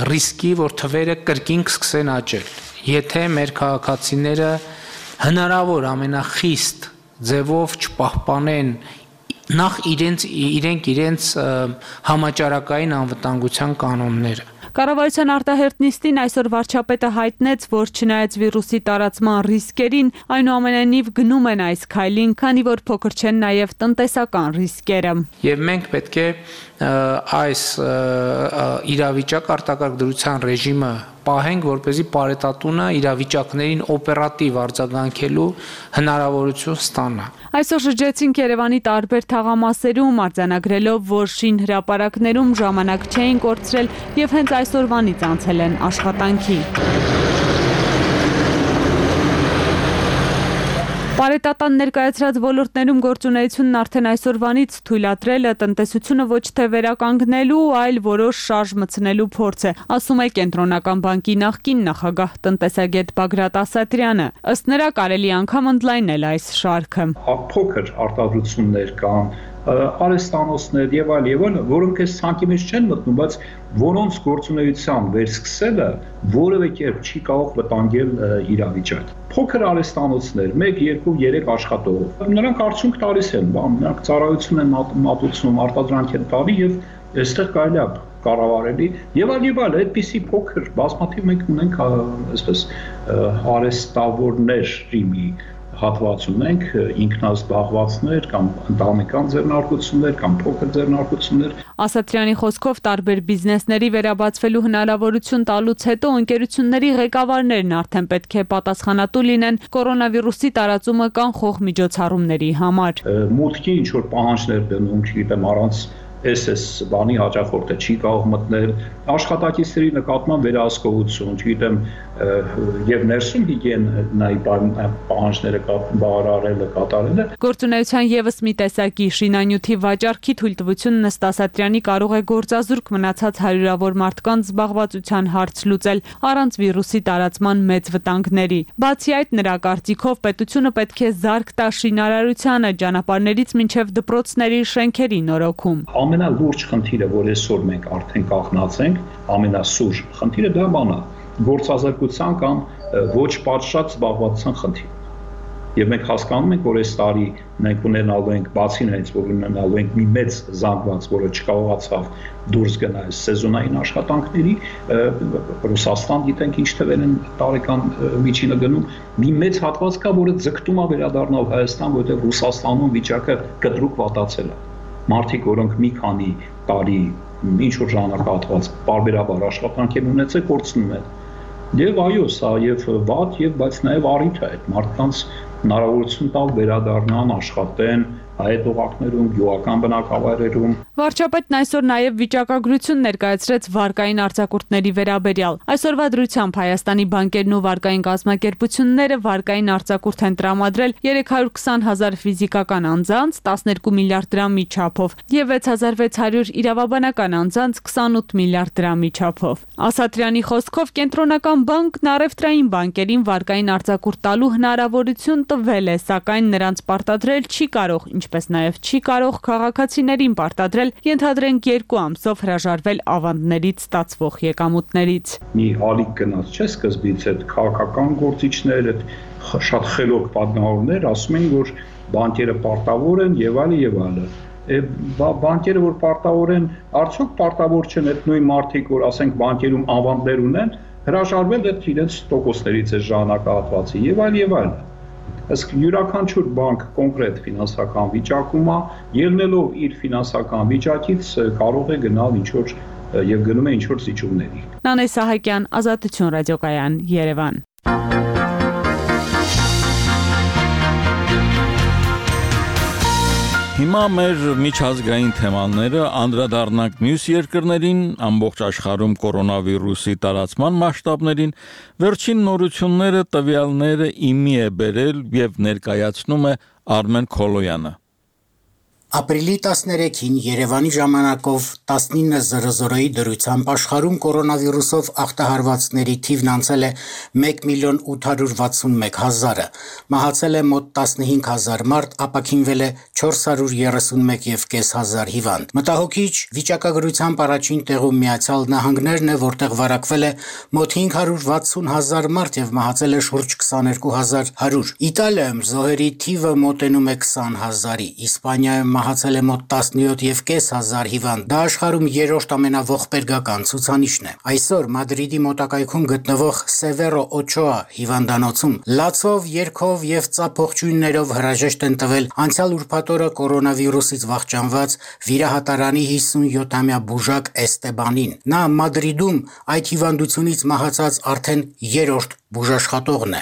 E: ռիսկի, որ թվերը կրկին սկսեն աճել։ Եթե մեր քաղաքացիները հնարավոր ամենախիստ ձևով չպահպանեն նախ իրենց համաճարակային անվտանգության կանոնները։
Q: Կառավարության արտահերթ նիստին այսօր վարչապետը հայտնեց, որ չնայած վիրուսի տարածման ռիսկերին, այնուամենայնիվ գնում են այս քայլին, քանի որ փոքր չեն նաև տնտեսական ռիսկերը։
E: Եվ մենք պետք է այս իրավիճակ արտակարգ դրության ռեժիմը պահենք, որպեսզի պարետատունը իրավիճակներին օպերատիվ արձագանքելու հնարավորություն ստանա։
Q: Այսօր շրջեցինք Երևանի տարբեր թաղամասերում, արձանագրելով, որ շին հրապարակներում ժամանակ չէին կորցրել եւ հենց այսօրվանից անցել են աշխատանքի։ Պարետատան ներկայացրած ոլորտներում գործունեությունն արդեն այսօրվանից թույլատրելը տնտեսությունը ոչ թե վերականգնելու, այլ որոշ շարժ մտցնելու փորձ է, ասում է Կենտրոնական բանկի նախկին նախագահ տնտեսագետ Բագրատ Ասատրյանը։ Ըստ նրա կարելի անգամ ընդլայնել այս շարքը։
R: Փոքր արտադրություններ կան, արհեստանոցներ եւ այլ, որոնք այս ցանկի մեջ չեն մտնում, բայց որոնց գործունեության վերսկսելը որևէ կերպ չի կարող վտանգել իրավիճակը։ Փոքր արհեստանոցներ, 1, 2, 3 աշխատող, նրանք արդյունք տալիս են, նրանք ծառայություն են մատուցում, արտադրանք են տալի եւ այստեղ կարելի է կառավարելի եւ այլ, այդպիսի փոքր բազմաթիվ մենք ունենք այսպես արհեստավորների մի հատված ունենք, ինքնազբաղվածներ կամ ընտանեկան ձեռնարկություններ կամ փոքր ձեռնարկություններ։
Q: Ասատրյանի խոսքով տարբեր բիզնեսների վերաբացվելու հնարավորություն տալուց հետո ընկերությունների ղեկավարներն արդեն պետք է պատասխանատու լինեն կորոնավիրուսի տարածումը կանխող միջոցառումների համար։
R: Մուտքի ինչ որ պահանջներ դնում, չգիտեմ, առանց SS բանի հաճախորդը չի կարող մտնել, աշխատակիցների նկատմամբ վերահսկողություն, չգիտեմ, եւ ներսում հիգիենայի պահանջները բավարարելը, կատարելը։
Q: Գործունեության եւս մի տեսակի շինանյութի վաճառքի թույլտվությունն ըստ Ասատրյանի կարող է գործազուրկ մնացած հարյուրավոր մարդկանց զբաղվածության հարց լուծել առանց վիրուսի տարածման մեծ վտանգների։ Բացի այդ, նրա կարծիքով պետությունը պետք է զարկ տա շինարարությանը, ճանապարհներից մինչև դպրոցների շենքերի նորոգում։
R: Ամենալուրջ խնդիրը, որ այսօր մենք արդեն կախնած ենք, ամենասուր խնդիրը դա բանա գործազրկության կամ ոչ պատշաճ զբաղվածության խնդիր։ Եվ մենք հասկանում ենք, որ այս տարի մենք ունենալու ենք բացի նրանից, որ ունենալու ենք մի մեծ զանգված, որը չկարողացավ դուրս գնալ սեզոնային աշխատանքների, Ռուսաստան գիտենք ինչ թվեր են տարեկան միջինը գնում, մի մեծ հատված կա, որը ձգտում է վերադառնալ Հայաստան, որովհետև Ռուսաստանում վիճակը կտրուկ վատացել է։ Մարդիկ, որոնք մի քանի տարի ինչ որ ժամանակահատված բարբերաբար աշխատանք են ունեցել, կորցնում են։ Եվ այո, սա եւ վատ եւ բայց նաեւ առիթ է այդ մարդկանց հնարավորություն տալ վերադառնան, աշխատեն այդ օղակներում, գյուղական բնակավայրերում։
Q: Վարչապետն այսօր նաև վիճակագրություն ներկայացրեց վարկային արձակուրդների վերաբերյալ։ Այսօրվա դրությամբ Հայաստանի բանկերն ու վարկային կազմակերպությունները վարկային արձակուրդ են տրամադրել 320,000 ֆիզիկական անձանց 12 միլիարդ դրամի չափով եւ 6600 իրավաբանական անձանց 28 միլիարդ դրամի չափով։ Ասատրյանի խոսքով Կենտրոնական բանկն առևտրային բանկերին վարկային արձակուրդ տալու հնարավորություն տվել է, սակայն նրանց պարտադրել չի կարող, ինչպես նաև չի կարող քաղաքացիներին պարտադրել ենթադրենք 2 ամսով հրաժարվել ավանդներից ստացվող եկամուտներից։
R: Մի ալիք գնաց չէ սկզբից այդ քաղաքական գործիչներ, այդ շատ խելոք պատգամավորներ ասում են, որ բանկերը պարտավոր են եւ այլն եւ այլն։ Բանկերը որ պարտավոր են, արդյոք պարտավոր չեն այդ նույն մարդիկ, որ ասենք բանկերում անվանդներ ունեն, հրաժարվել այդ իրենց տոկոսներից է ժամանակահատվածի եւ այլն։ Իսկ յուրաքանչյուր բանկ կոնկրետ ֆինանսական վիճակում է, ելնելով իր ֆինանսական վիճակից կարող է գնալ ինչ-որ եւ գնում է ինչ-որ զիջումների։
Q: Նանե Սահակյան, Ազատություն ռադիոկայան, Երևան։
A: Հիմա մեր միջազգային թեմաները անդրադառնանք մյուս երկրներին, ամբողջ աշխարհում կորոնավիրուսի տարածման մասշտաբներին, վերջին նորությունները տվյալները իմի է բերել եւ ներկայացնում է Արմեն Քոլոյանը։
S: Ապրիլի 13-ին Երևանի ժամանակով 19:00-ի դրությամբ աշխարհում կորոնավիրուսով ախտահարվածների թիվն անցել է 1,861,000-ը, մահացել է մոտ 15,000 մարդ, ապաքինվել է 431,500 հիվանդ։ Մտահոգիչ վիճակագրությամբ առաջին տեղում Միացյալ Նահանգներն է, որտեղ վարակվել է մոտ 560,000 մարդ եւ մահացել է շուրջ 22,100։ Իտալիայում զոհերի թիվը մոտենում է 20,000-ի, Իսպանիայում մահացել է մոտ 17,500 հիվանդ։ Դա աշխարհում երրորդ ամենաողբերգական ցուցանիշն է։ Այսօր Մադրիդի մոտակայքում գտնվող Սևերո Օչոա հիվանդանոցում լացով, երգով եւ ծափողջույններով հրաժեշտ են տվել անցյալ ուրբաթ օրը կորոնավիրուսից վախճանված վիրահատարանի 57-ամյա բուժակ Էստեբանին։ Նա Մադրիդում այդ հիվանդությունից մահացած արդեն երրորդ բուժաշխատողն է։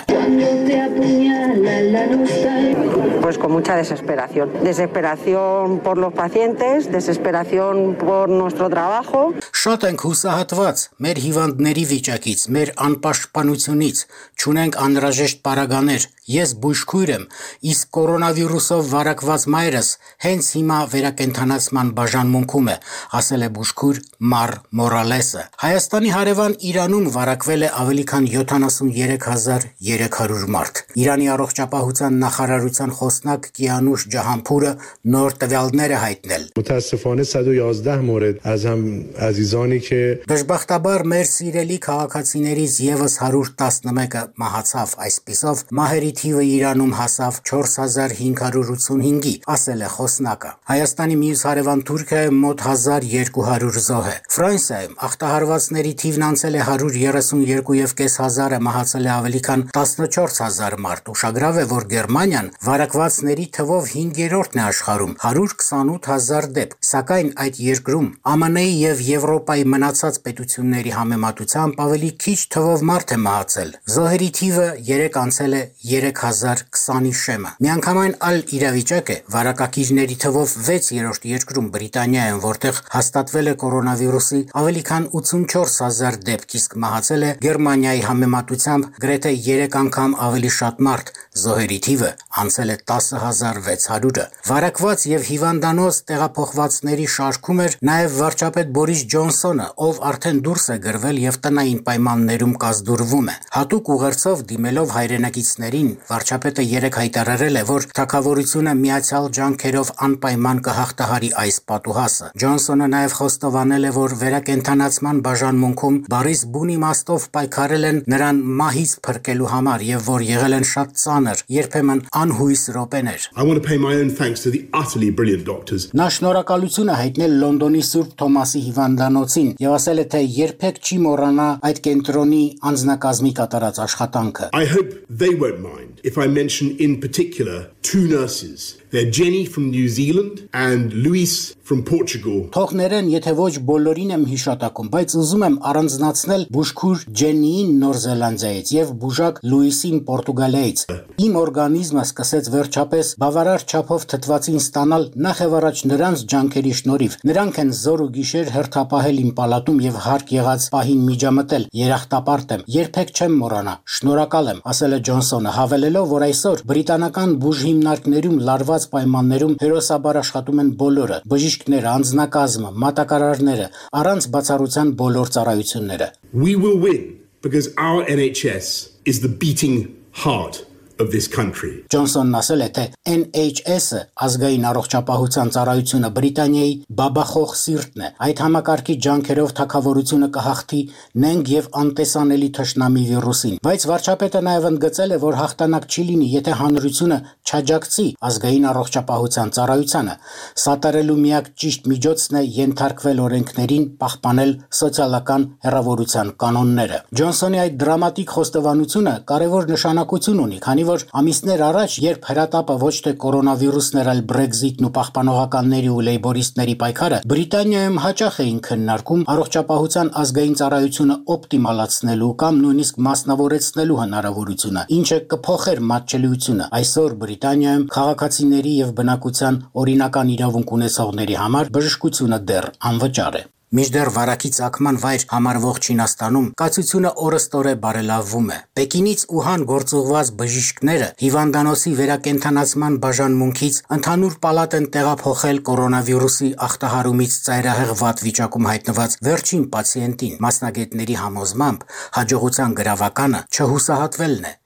T: Pues con mucha desesperación. Desesperación por los pacientes, desesperación por nuestro trabajo.
S: Շատ ենք հուսահատված մեր հիվանդների վիճակից, մեր անպաշտպանությունից, չունենք անհրաժեշտ պարագաներ։ Ես բուժքույր եմ, իսկ կորոնավիրուսով վարակված մայրս հենց հիմա վերակենդանացման բաժանմունքում է, ասել է բուժքույր Մար Մորալեսը։ Հայաստանի հարևան Իրանում վարակվել է ավելի քան 73,300 մարդ։ Իրանի առողջապահության նախարարության խոսնակ Կիանուշ Ջահանփուրը նոր տվյալներ է հայտնել։
U: متاسفانه 111 مورد از هم عزیزانی که
S: Դժբախտաբար մեր սիրելի քաղաքացիներից եւս 111-ը մահացավ, այսպիսով մահերի թիվը Իրանում հասավ 4585-ի, ասել է խոսնակը։ Հայաստանի մյուս հարևան Թուրքիայում մոտ 1200 զոհ է։ Ֆրանսիայում ախտահարվածների թիվն անցել է 132,500-ը, մահացել է ավելի քան 14000 մարդ։ Ուշագրավ է, որ Գերմանիան վարակվածների թվով 5-րդն է աշխարհում, 128,000 դեպք։ Սակայն այդ երկրում ԱՄՆ-ի եւ Եվրոպայի մնացած պետությունների համեմատությամբ ավելի քիչ թվով մարդ է մահացել։ Զոհերի թիվը 3 անցել է 3020-ի շեմը։ Միանգամայն այլ իրավիճակ է վարակակիրների թվով 6-րդ երկրում Բրիտանիայում, որտեղ հաստատվել է կորոնավիրուսի ավելի քան 84000 դեպք, իսկ մահացել է Գերմանիայի համեմատությամբ գրեթե 3 անգամ ավելի շատ մարդ։ Զոհերի թիվը անցել է 10600-ը։ Վարակված եւ հիվանդանոց տեղափոխվածների շարքում էր նաեւ վարչապետ Բորիս Ջոնսոնը, ով արդեն դուրս է գրվել եւ տնային պայմաններում կազդուրվում է։ Հատուկ ուղերձով դիմելով հայրենակիցներին, վարչապետը երեկ հայտարարել է, որ թագավորությունը միացյալ ջանքերով անպայման կհաղթահարի այս պատուհասը։ Ջոնսոնը նաեւ խոստովանել է, որ վերակենդանացման բաժանմունքում բարիս բուն իմաստով պայքարել են նրան մահից փրկելու համար եւ որ եղել են շատ ծանր, երբեմն անհույս րոպեներ։
U: I want to pay my own thanks to the utterly brilliant doctors.
S: Նա շնորհակալություն է հայտնել Լոնդոնի Սուրբ Թոմասի հիվանդանոցին եւ ասել է, թե երբեք չի մոռանա այդ կենտրոնի անձնակազմի կատարած աշխատանքը։
U: I hope they won't mind if I mention in particular two nurses. They're Jenny from New Zealand and Luis from Portugal.
S: Թող ներեն, եթե ոչ բոլորին եմ հիշատակում, բայց ուզում եմ առանձնացնել բուժքույր Ջեննիին Նոր Զելանդիայից եւ բուժակ Լուիսին Պորտուգալիայից։ Իմ օրգանիզմը սկսեց վերջապես բավարար չափով թթվածին ստանալ նախ եւ առաջ նրանց ջանքերի շնորհիվ։ Նրանք են զոր ու գիշեր հերթապահել իմ պալատում եւ հարկ եղած պահին միջամտել։ Երախտապարտ եմ, երբեք չեմ մոռանա։ Շնորհակալ եմ, ասել է Ջոնսոնը, հավելելով, որ այսօր բրիտանական բուժհիմնարկներում լարված պայմաններում հերոսաբար աշխատում են բոլորը՝ բժիշկները, անձնակազմը, մատակարարները, առանց բացառության բոլոր ծառայությունները։
U: We will win because our NHS is the beating heart of this country.
S: Ջոնսոնն ասել է, թե NHS-ը ազգային առողջապահության ծառայությունը Բրիտանիայի բաբախող սիրտն է։ Այդ համակարգի ջանքերով թագավորությունը կհաղթի նենգ եւ անտեսանելի թշնամի վիրուսին։ Բայց վարչապետը նաեւ ընդգծել է, որ հաղթանակ չի լինի, եթե հանրությունը չաջակցի ազգային առողջապահության ծառայությանը։ Սատարելու միակ ճիշտ միջոցն է ենթարկվել օրենքներին, պահպանել սոցիալական հեռավորության կանոնները։ Ջոնսոնի այդ դրամատիկ խոստովանությունը կարևոր նշանակություն ունի, քանի որ ամիսներ առաջ, երբ հրատապը ոչ թե կորոնավիրուսն էր, այլ Brexit-ն ու պահպանողականների ու լեյբորիստների պայքարը, Բրիտանիայում հաճախ էին քննարկում առողջապահության ազգային ծառայությունը օպտիմալացնելու կամ նույնիսկ մասնավորեցնելու հնարավորությունը, ինչը կփոխեր մատչելիությունը։ Այսօր Բրիտանիայում քաղաքացիների եւ բնակության օրինական իրավունք ունեցողների համար բժշկությունը դեռ անվճար է։ Մինչդեռ վարակի ծագման վայր համարվող Չինաստանում կացությունը օրըստօրե բարելավվում է։ Պեկինից Ուհան գործուղված բժիշկները հիվանդանոցի վերակենդանացման բաժանմունքից ընդհանուր պալատ են տեղափոխել կորոնավիրուսի ախտահարումից ծայրահեղ վատ վիճակում հայտնված վերջին պացիենտին։ Մասնագետների համոզմամբ հաջողության գրավականը չհուսահատվելն է։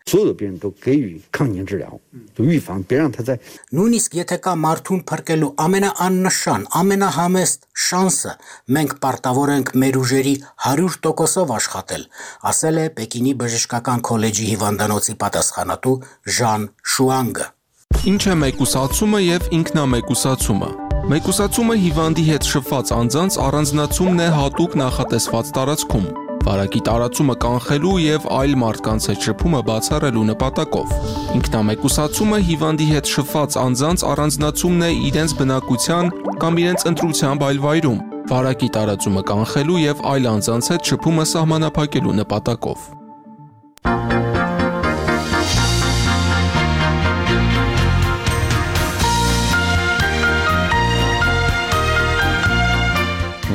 S: Նույնիսկ եթե կա մարդուն փրկելու ամենաաննշան, ամենահամեստ շանսը, մենք պարտավոր ենք մեր ուժերի 100%-ով աշխատել, ասել է Պեկինի բժշկական քոլեջի հիվանդանոցի պատասխանատու Ժան Շուանգը։
C: Ինչ է մեկուսացումը եւ ինքնամեկուսացումը։ Մեկուսացումը հիվանդի հետ շփված անձանց առանձնացումն է հատուկ նախատեսված տարածքում։ Վարակի տարածումը կանխելու եւ այլ մարդկանց հետ շփումը բացառելու նպատակով։ Ինքնամեկուսացումը հիվանդի հետ շփված անձանց առանձնացումն է իրենց բնակության կամ իրենց ընտրությամբ այլ վայրում։ Վարակի տարածումը կանխելու եւ այլ անձանց հետ շփումը սահմանափակելու նպատակով։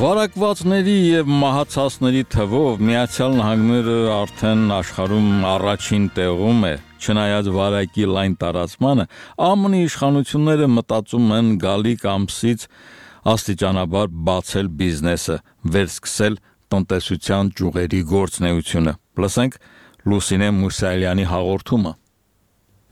A: Վարակվածների եւ մահացածների թվով Միացյալ Նահանգները արդեն աշխարհում առաջին տեղում է։ Չնայած վարակի լայն տարածմանը, ԱՄՆ-ի իշխանությունները մտածում են գալիք ամսից աստիճանաբար բացել բիզնեսը, վերսկսել տնտեսության ճյուղերի գործունեությունը։ Լսենք Լուսինե Մուսալյանի հաղորդումը։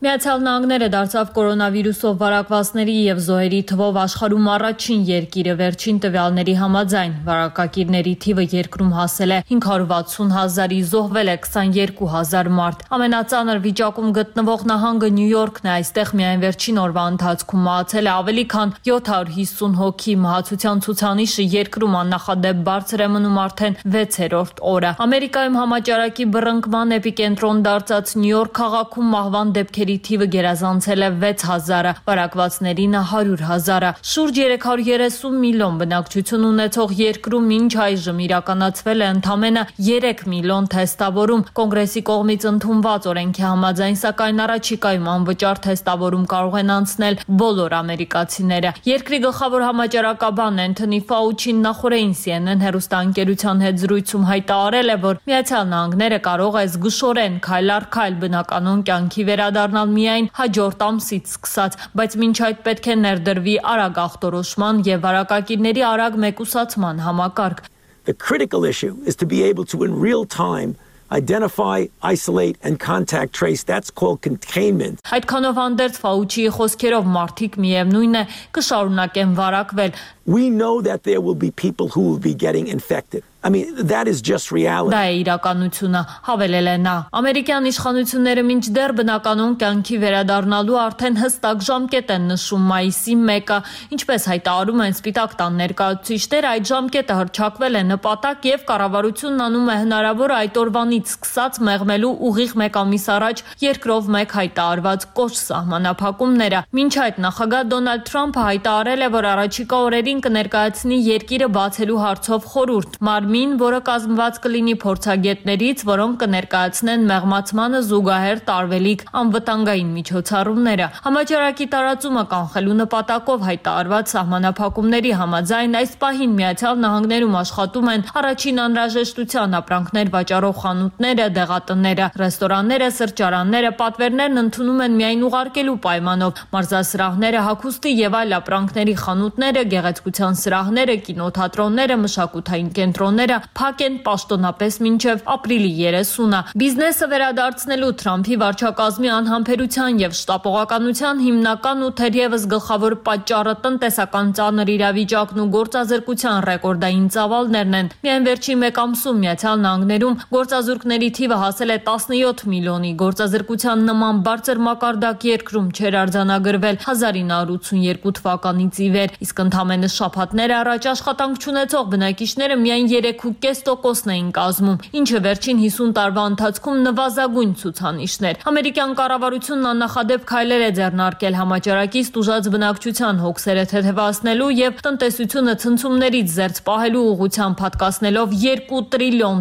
B: Միացյալ Նահանգները դարձավ կորոնավիրուսով վարակվածների եւ զոհերի թվով աշխարհում առաջին երկիրը վերջին տվյալների համաձայն։ Վարակակիրների թիվը երկրում հասել է 560,000-ի, զոհվել է 22,000 մարդ։ Ամենածանր վիճակում գտնվող նահանգը Նյու Յորքն է, այստեղ միայն վերջին օրվա ընթացքում մահացել է ավելի քան 750 հոգի։ Մահացության ցուցանիշը երկրում աննախադեպ բարձր է մնում արդեն 6-րդ օրը։ Ամերիկայում համաճարակի բռնկման էպիկենտրոն դարձած Նյու Յորք քաղաքում մահվան դեպքերի թիվը գերազանցել է 6000-ը, վարակվածներին 100,000-ը։ Շուրջ 330 միլիոն բնակչություն ունեցող երկրում մինչ այժմ իրականացվել է ընդամենը 3 միլիոն թեստավորում։ Կոնգրեսի կողմից ընդունված օրենքի համաձայն, սակայն առաջիկայում անվճար թեստավորում կարող են անցնել բոլոր ամերիկացիները։ Երկրի գլխավոր համաճարակաբան Էնթոնի Ֆաուչին նախորդին CNN հեռուստաընկերության հետ զրույցում հայտարարել է, որ Միացյալ Նահանգները կարող է զգուշորեն քայլ առ քայլ բնականոն կյանքի վերադառնալ միայն հաջորդ ամսից սկսած, բայց մինչ այդ պետք է ներդրվի արագ ախտորոշման եւ վարակակիրների արագ մեկուսացման համակարգ։
V: The critical issue is to be able to in real time identify, isolate and contact trace. That's called containment.
B: Այդքանով հանդերձ Ֆաուչիի խոսքերով մարդիկ միևնույն է կշարունակեն վարակվել։
V: We know that there will be people who will be getting infected. I mean, that is just reality.
B: Դա է իրականությունը, հավելել է նա։ Ամերիկյան իշխանությունները մինչդեռ բնականոն կյանքի վերադառնալու արդեն հստակ ժամկետ են նշում մայիսի 1-ը, ինչպես հայտարարում են Սպիտակ տան ներկայացուցիչները, այդ ժամկետը հռչակվել է նպատակ եւ կառավարությունն անում է հնարավոր այդ օրվանից սկսած մեղմելու ուղիղ 1 ամիս առաջ երկրով 1 հայտարարված կոշտ սահմանափակումները։ Մինչ այդ նախագահ Դոնալդ Թրամփը հայտարարել է, որ առաջիկա օրերին կներկայացնի երկիրը բացելու հարցով խորհուրդ։ Մարմին, որը կազմված կլինի փորձագետներից, որոնք կներկայացնեն մեղմացմանը զուգահեռ տարվելիք անվտանգային միջոցառումները։ Համաճարակի տարածումը կանխելու նպատակով հայտարարված սահմանափակումների համաձայն այս պահին Միացյալ Նահանգներում աշխատում են առաջին անհրաժեշտության ապրանքներ վաճառող խանութները, դեղատները, ռեստորանները, սրճարանները, պատվերներն ընդունում են միայն ուղարկելու պայմանով։ Մարզասրահները, հագուստի եւ այլ ապրանքների խանութները, գեղեցկության
D: լրատվության սրահները, կինոթատրոնները, մշակութային կենտրոնները փակ են պաշտոնապես մինչև ապրիլի 30-ը։ Բիզնեսը վերադարձնելու Թրամփի վարչակազմի անհամբերության եւ շտապողականության հիմնական ու թերևս գլխավոր պատճառը տնտեսական ծանր իրավիճակն ու գործազրկության ռեկորդային ծավալներն են։ Միայն վերջին մեկ ամսում Միացյալ Նահանգներում գործազուրկների թիվը հասել է 17 միլիոնի, գործազրկության նման բարձր մակարդակ երկրում չէր արձանագրվել 1982 թվականից ի վեր, իսկ ընդամենը շաբաթներ առաջ աշխատանք չունեցող բնակիչները միայն 3.5%-ն էին կազմում, ինչը վերջին 50 տարվա ընթացքում նվազագույն ցուցանիշն էր։ Ամերիկյան կառավարությունն աննախադեպ քայլեր է ձեռնարկել համաճարակից տուժած բնակչության հոգսերը թեթևացնելու եւ տնտեսությունը ցնցումներից զերծ պահելու ուղղությամբ հատկացնելով $2 տրիլիոն։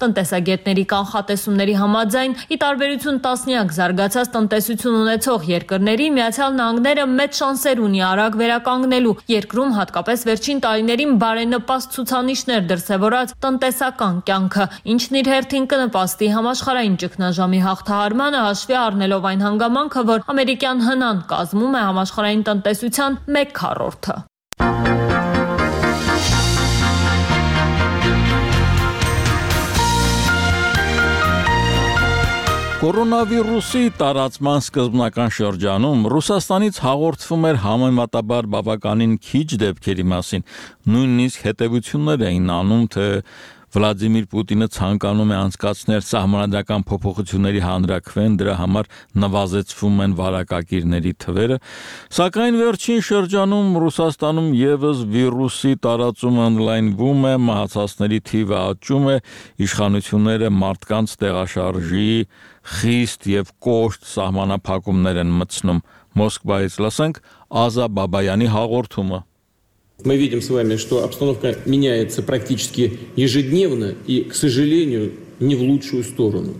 D: Տնտեսագետների կանխատեսումների համաձայն, ի տարբերություն տասնյակ զարգացած տնտեսություն ունեցող երկրների, Միացյալ Նահանգները մեծ շանսեր ունի արագ վերականգնելու երկրում հատկապես վերջին տարիներին բարենպաստ ցուցանիշներ դրսևորած տնտեսական կյանքը, ինչն իր հերթին կնպաստի համաշխարհային ճգնաժամի հաղթահարմանը, հաշվի առնելով այն հանգամանքը, որ ամերիկյան հնան կազմում է համաշխարհային տնտեսության 1/4-ը։
A: Կորոնավիրուսի տարածման սկզբնական շրջանում Ռուսաստանից հաղորդվում էր համեմատաբար բավականին քիչ դեպքերի մասին, նույնիսկ հետևություններ էին անում, թե Վլադիմիր Պուտինը ցանկանում է անցկացնել սահմանադրական փոփոխությունների հանրաքվեն, դրա համար նվազեցվում են վարակակիրների թվերը, սակայն վերջին շրջանում Ռուսաստանում եւս վիրուսի տարածումը ընդլայնվում է, մահացածների թիվը աճում է, իշխանությունները մարդկանց տեղաշարժի խիստ եւ կոշտ սահմանափակումներ են մտցնում։ Մոսկվայից լսենք Ազա Բաբայանի հաղորդումը։
G: Мы видим с вами, что обстановка меняется практически ежедневно и, к сожалению, не в лучшую сторону.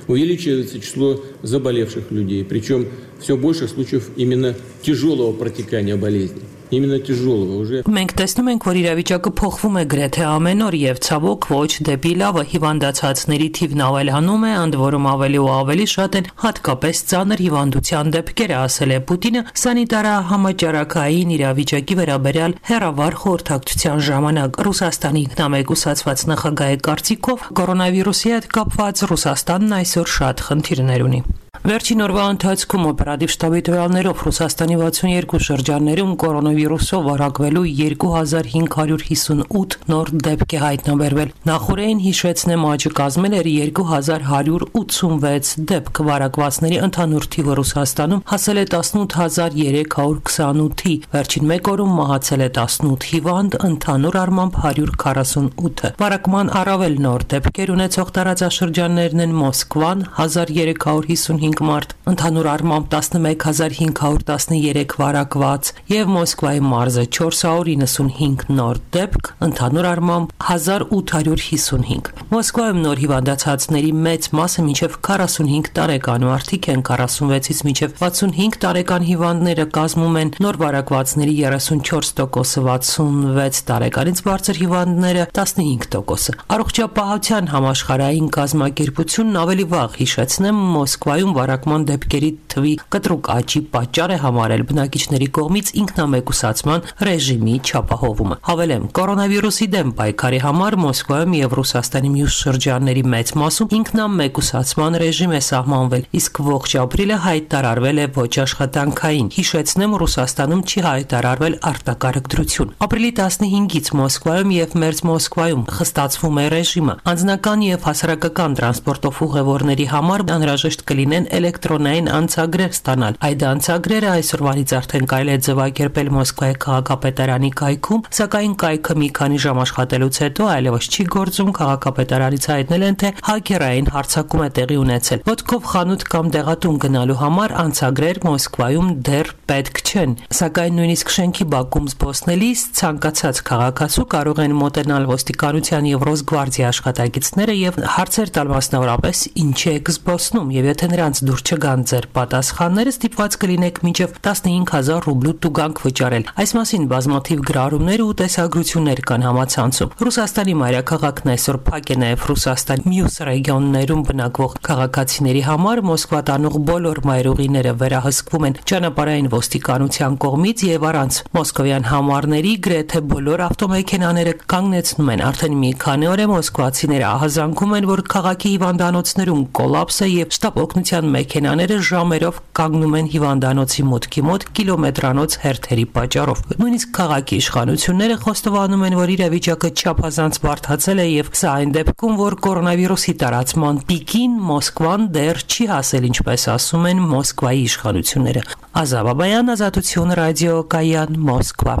G: Увеличивается число заболевших людей, причем все больше случаев именно тяжелого протекания болезни. Именно тяжелого уже.
W: Մենք տեսնում ենք, որ իրավիճակը փոխվում է գրեթե ամեն օր եւ ցավոք ոչ դեպի լավը հիվանդացածների թիվն ավելանում է, ընդ որում ավելի ու ավելի շատ են հատկապես ծանր հիվանդության դեպքերը, ասել է Պուտինը սանիտարահամաճարակային իրավիճակի վերաբերյալ հերավար խորհրդակցության ժամանակ։ Ռուսաստանի ինքնամեկուսացված նախագահի կարծիքով կորոնավիրուսի հետ կապված Ռուսաստանն այսօր շատ խնդիրներ ունի։ Վերջին օրվա ընթացքում օպերատիվ շտաբի տվյալներով Ռուսաստանի 62 շրջաններում կորոնավիրուսով վարակվելու 2558 նոր դեպք է հայտնաբերվել։ Նախորդին հիշեցնեմ, աճը կազմել էր 2186 դեպք, վարակվածների ընդհանուր թիվը Ռուսաստանում հասել է 18328-ի, վերջին մեկ օրում մահացել է 18 հիվանդ, ընդհանուր առմամբ 148-ը։ Վարակման առավել նոր դեպքեր ունեցող տարածաշրջաններն են Մոսկվան 1355 մարդ, ընդհանուր առմամբ 11513 վարակված եւ Մոսկվայի մարզը 495 նոր դեպք, ընդհանուր առմամբ 1855։ Մոսկվայում նոր հիվանդացածների մեծ մասը մինչև 45 տարեկան մարդիկ են, 46-ից մինչև 65 տարեկան հիվանդները կազմում են, նոր վարակվածների 34%-ը, 66 տարեկանից բարձր հիվանդները 15%-ը։ Առողջապահության համաշխարհային կազմակերպությունն ավելի վաղ, հիշեցնեմ, Մոսկվայում վարակման դեպքերի թվի կտրուկ աճի պատճառ է համարել բնակիչների կողմից ինքնամեկուսացման ռեժիմի չափահովումը։ Հավելեմ, կորոնավիրուսի դեմ պայքարի համար Մոսկվայում եւ Ռուսաստանի մյուս շրջանների մեծ մասում ինքնամեկուսացման ռեժիմ է սահմանվել, իսկ ողջ ապրիլը հայտարարվել է ոչ աշխատանքային։ Հիշեցնեմ, Ռուսաստանում չի հայտարարվել արտակարգ դրություն։ Ապրիլի 15-ից Մոսկվայում եւ Մերձ Մոսկվայում խստացվում է ռեժիմը։ Անձնական եւ հասարակական տրանսպորտով ուղևորների համար անհրաժեշտ կլինեն էլեկտրոնային անցագրեր ստանալ։ Այդ անցագրերը այսօրվանից արդեն կարելի է ձևակերպել Մոսկվայի քաղաքապետարանի կայքում, սակայն կայքը մի քանի ժամ աշխատելուց հետո այլևս չի գործում, քաղաքապետարանից հայտնել են, թե հակերային հարձակում է տեղի ունեցել։ Ոտքով խանութ կամ դեղատուն գնալու համար անցագրեր Մոսկվայում դեռ պետք չեն, սակայն նույնիսկ շենքի բակում զբոսնելիս ցանկացած քաղաքացու կարող են մոտենալ ոստիկանության եւ Ռոսգվարդիա աշխատակիցները եւ հարցեր տալ մասնավորապես ինչի եք զբոսնում, եւ եթե նրա նրանց դուր չգան ձեր պատասխանները, ստիպված կլինեք մինչև 15000 ռուբլու տուգանք վճարել։ Այս մասին բազմաթիվ գրառումներ ու տեսագրություններ կան համացանցում։ Ռուսաստանի մայրաքաղաքն այսօր փակ է նաև Ռուսաստանի մյուս ռեգիոններում բնակվող քաղաքացիների համար։ Մոսկվա տանող բոլոր մայրուղիները վերահսկվում են ճանապարհային ոստիկանության կողմից եւ առանց մոսկովյան համարների գրեթե բոլոր ավտոմեքենաները կանգնեցնում են։ Արդեն մի քանի օր է մոսկվացիները ահազանգում են, որ քաղաքի հիվանդանոցներում կոլապս է եւ շտապ օգնության մեքենաները ժամերով կանգնում են հիվանդանոցի մուտքի մոտ կիլոմետրանոց հերթերի պատճառով։ Նույնիսկ քաղաքի իշխանությունները խոստովանում են, որ իրավիճակը չափազանց բարդացել է եւ սա այն դեպքում, որ կորոնավիրուսի տարածման պիկին Մոսկվան դեռ չի հասել, ինչպես ասում են Մոսկվայի իշխանությունները։ Ազա Բաբայան, Ազատություն ռադիո, Կայան, Մոսկվա։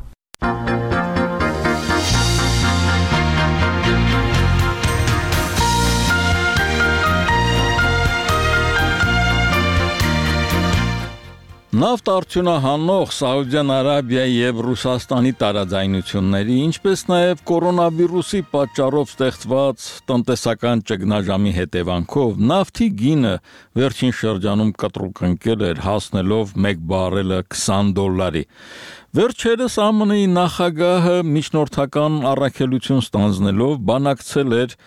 A: Նավթ արդյունահանող Սաուդյան Արաբիայի եւ Ռուսաստանի տարաձայնությունների, ինչպես նաեւ կորոնավիրուսի պատճառով ստեղծված տնտեսական ճգնաժամի հետևանքով նավթի գինը վերջին շրջանում կտրուկ ընկել էր, հասնելով 1 բարելը $20։ Վերջերս ԱՄՆ-ի նախագահը միջնորդական առաքելություն ստանձնելով բանակցել էր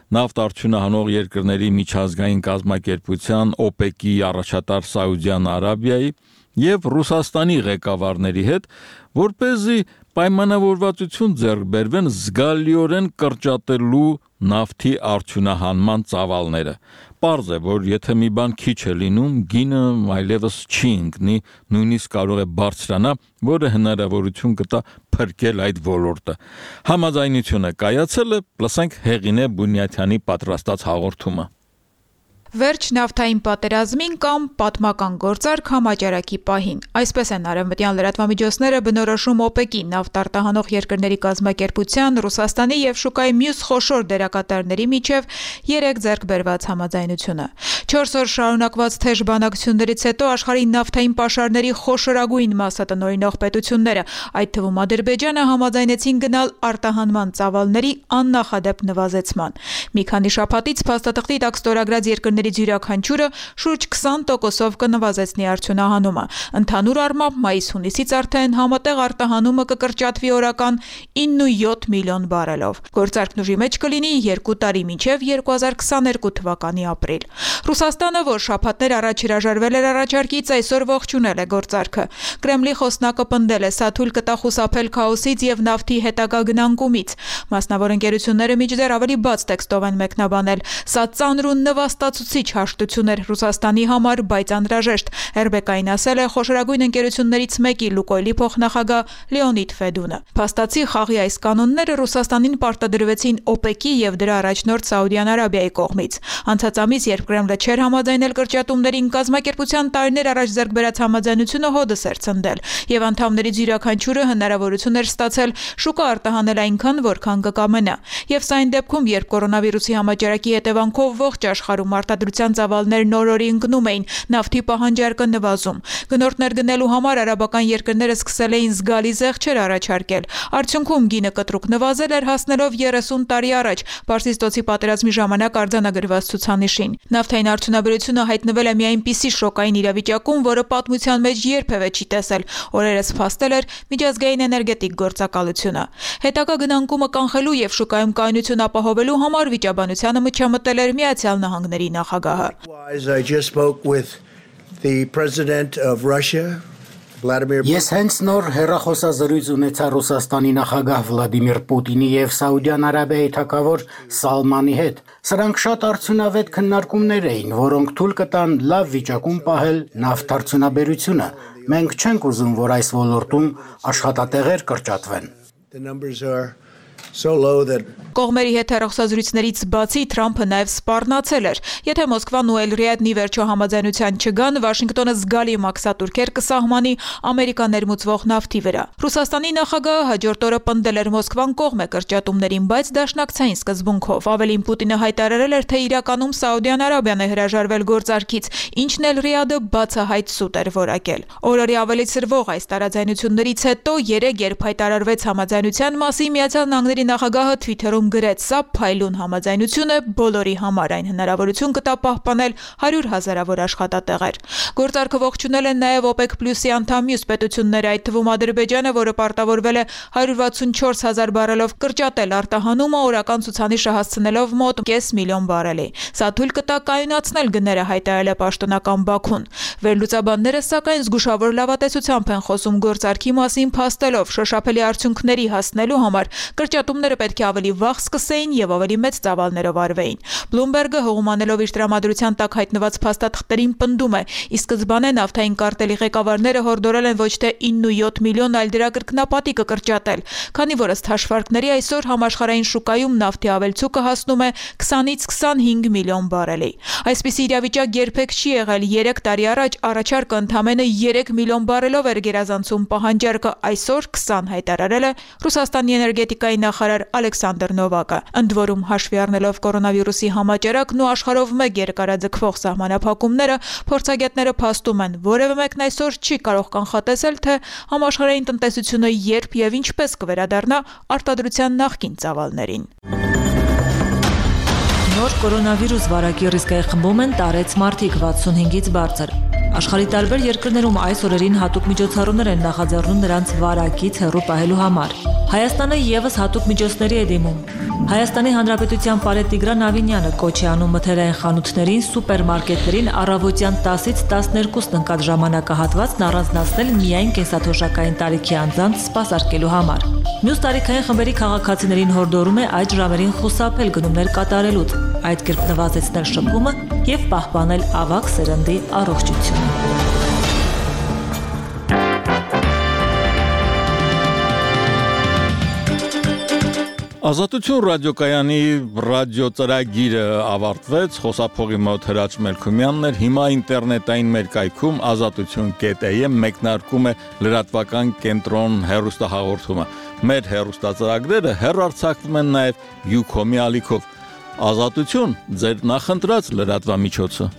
A: նավթ արդյունահանող երկրների միջազգային կազմակերպության OPEC-ի առաջատար Սաուդյան Արաբիայի եւ Ռուսաստանի ղեկավարների հետ, որպեսզի պայմանավորվածություն ձեռք բերվեն զգալիորեն կրճատելու նավթի արդյունահանման ծավալները։ Պարզ է, որ եթե մի բան քիչ է լինում, գինը այլևս չի ընկնի, նույնիսկ կարող է բարձրանա, որը հնարավորություն կտա փրկել այդ ոլորտը։ Համաձայնությունը կայացել է, լսենք Հեղինե Բունյաթյանի պատրաստած հաղորդումը։
F: Վերջ նավթային պատերազմին կամ պատմական գործարք համաճարակի պահին։ Այսպես են արևմտյան լրատվամիջոցները բնորոշում OPEC-ի նավթ արտահանող երկրների կազմակերպության, Ռուսաստանի եւ շուկայի մյուս խոշոր դերակատարների միջև 3 ձեռք բերված համաձայնությունը։ 4 օր շարունակված թեժ բանակցություններից հետո աշխարհի նավթային պաշարների խոշորագույն մասը տնօրինող պետությունները, այդ թվում Ադրբեջանը, համաձայնեցին գնալ արտահանման ծավալների աննախադեպ նվազեցման։ Մի քանի շաբաթից փաստաթղթի տակ ստորագրած երկրներից յուրաքանչյուրը շուրջ 20%-ով կնվազեցնի արդյունահանումը։ Ընդհանուր առմամբ մայիս-հունիսից արդեն համատեղ արտահանումը կկրճատվի օրական 9.7 միլիոն բարելով։ Գործարքն ուժի մեջ կլինի 2 տարի մինչև 2022 թվականի ապրիլ։ Ռուսաստանը, որ շաբաթներ առաջ հրաժարվել էր առաջարկից, այսօր ողջունել է գործարքը։ Կրեմլի խոսնակը պնդել է, սա թույլ կտա խուսափել քաոսից եւ նավթի հետագա գնանկումից։ Մասնավոր ընկերությունները մինչդեռ ավելի բաց տեքստով են մեկնաբանել։ Սա ծանր ու նվաստացուցիչ հաշտություն էր Ռուսաստանի համար, բայց անհրաժեշտ։ RBK-ին ասել է խոշորագույն ընկերություններից մեկի Լուկոյլի փոխնախագահ Լեոնիդ Ֆեդունը։ Փաստացի խաղի այս կանոնները Ռուսաստանին պարտադրվեցին OPEC-ի եւ դրա առաջնորդ Սաուդյան Արաբիայի կողմից։ Անցած ամիս, երբ Կրեմլը չէր համաձայնել կրճատումներին, կազմակերպության տարիներ առաջ ձեռք բերած համաձայնությունը հոդս էր ցնդել, եւ անդամներից յուրաքանչյուրը հնարավորություն էր ստացել շուկա արտահանել այնքան, որքան կկամենա։ Եվ սա այն դեպքում, երբ կորոնավիրուսի համաճարակի հետևանքով ողջ աշխարհում արտադրության ծավալներն օր-օրի ընկնում էին, նավթի պահանջարկը նվազում։ Գնորդներ գնելու համար արաբական երկրները սկսել էին զգալի զեղչեր առաջարկել։ Արդյունքում գինը կտրուկ նվազել էր, հասնելով 30 տարի առաջ Պարսիստոցի պատերազմի ժամանակ արձանագրված ցուցանիշին։ Նավթային արդյունաբերությունը հայտնվել է մի այնպիսի շոկային իրավիճակում, որը պատմության մեջ երբևէ չի տեսել։ Օրերս փաստել էր միջազգային էներգետիկ գործակալությունը։ Հետագա գնանկումը կանխելու եւ շուկայում կայունություն ապահովելու համար վիճաբանությանը միջամտել էր Միացյալ Նահանգների նախագահը։
S: Ես հենց նոր հեռախոսազրույց ունեցա Ռուսաստանի նախագահ Վլադիմիր Պուտինի եւ Սաուդյան Արաբիայի թագավոր Սալմանի հետ։ Սրանք շատ արդյունավետ քննարկումներ էին, որոնք թույլ կտան լավ վիճակում պահել նավթարդյունաբերությունը։ Մենք չենք ուզում, որ այս ոլորտում աշխատատեղեր կրճատվեն։
F: Կողմերի հետ հեռախոսազրույցներից բացի Թրամփը նաև սպառնացել էր։ Եթե Մոսկվան ու Էլ-Ռիադն ի վերջո համաձայնության չգան, Վաշինգտոնը զգալի մաքսատուրքեր կսահմանի Ամերիկա ներմուծվող նավթի վրա։ Ռուսաստանի նախագահը հաջորդ օրը պնդել էր Մոսկվան կողմ է կրճատումներին, բայց դաշնակցային սկզբունքով։ Ավելին Պուտինը հայտարարել էր, թե իրականում Սաուդյան Արաբիան է հրաժարվել գործարքից, ինչն Էլ-Ռիադը բացահայտ սուտ էր որակել։ Օրորի ավելի սրվող այս տարաձայնություններից հետո երեք երբ հայտարարվեց համաձայնության մասին, Միացյալ Նահանգների նախագահը Twitter-ում գրեց. «Սա փայլուն համաձայնություն է բոլորի համար, այն հնարավորություն կտա պահպանել 100,000-ավոր աշխատատեղեր»։ Գործարքը ողջունել են նաև OPEC+-ի անդամ մյուս պետությունները, այդ թվում Ադրբեջանը, որը պարտավորվել է 164,000 բարելով կրճատել արտահանումը, օրական ցուցանիշը հասցնելով մոտ 5 միլիոն բարելի։ Սա թույլ կտա կայունացնել գները, հայտարարել է պաշտոնական Բաքուն։ Վերլուծաբանները սակայն զգուշավոր լավատեսությամբ են խոսում գործարքի մասին, փաստելով շոշափելի արդյունքների հասնելու համար կրճատումները պետք է ավելի վաղ սկսեին եւ ավելի մեծ ծավալներով արվեին։ Bloomberg-ը հողումանելով իր տրամադրության տակ հայտնված փաստաթղթերին պնդում է, ի սկզբանե նավթային կարտելի ղեկավարները հորդորել են ոչ թե 9-7 միլիոն, այլ դրա կրկնապատիկը կրճատել, քանի որ ըստ հաշվարկների այսօր համաշխարհային շուկայում նավթի ավելցուկը հասնում է 20-ից 25 միլիոն բարելի։ Այսպիսի իրավիճակ երբեք չի եղել։ 3 տարի առաջ առաջարկը ընդամենը 3 միլիոն բարելով էր գերազանցում պահանջարկը, այսօր 20 հայտարարել է Ռուսաստանի էներգետիկայի նախարար Ալեքսանդր Նովակը։ Ընդ որում հաշվի առնելով կորոնավիրուսի համաճարակն ու աշխարհով մեկ երկարաձգվող սահմանափակումները, փորձագետները փաստում են, որևէ մեկն այսօր չի կարող կանխատեսել, թե համաշխարհային տնտեսությունը երբ եւ ինչպես կվերադառնա արտադրության նախկին ծավալներին։
H: Նոր կորոնավիրուս վարակի ռիսկային խմբում են տարեց մարդիկ 65-ից բարձր։ Աշխարհի տարբեր երկրներում այս օրերին հատուկ միջոցառումներ են նախաձեռնում նրանց վարակից հեռու պահելու համար։ Հայաստանը եւս հատուկ միջոցների է դիմում։ Հայաստանի Հանրապետության Պարետ Տիգրան Ավինյանը կոչ է անում մթերային խանութներին, սուպերմարկետներին առավոտյան 10-ից 12-ն ընկած ժամանակահատվածն առանձնացնել միայն կենսաթոշակային տարիքի անձանց սպասարկելու համար։ Մյուս տարիքային խմբերի քաղաքացիներին հորդորում է այդ ժամերին խուսափել գնումներ կատարելուց, այդ կերպ նվազեցնել շփումը եւ պահպանել ավագ սերնդի առողջությունը։
A: Ազատություն ռադիոկայանի ռադիոծրագիրը ավարտվեց, խոսափողի մոտ Հրաչ Մելքումյանն էր, հիմա ինտերնետային մեր կայքում azatutun.am մեկնարկում է լրատվական կենտրոն հեռուստահաղորդումը։ Մեր հեռուստածրագրերը հեռարձակվում են նաև Ucom-ի ալիքով։ Ազատություն, ձեր նախընտրած լրատվամիջոցը։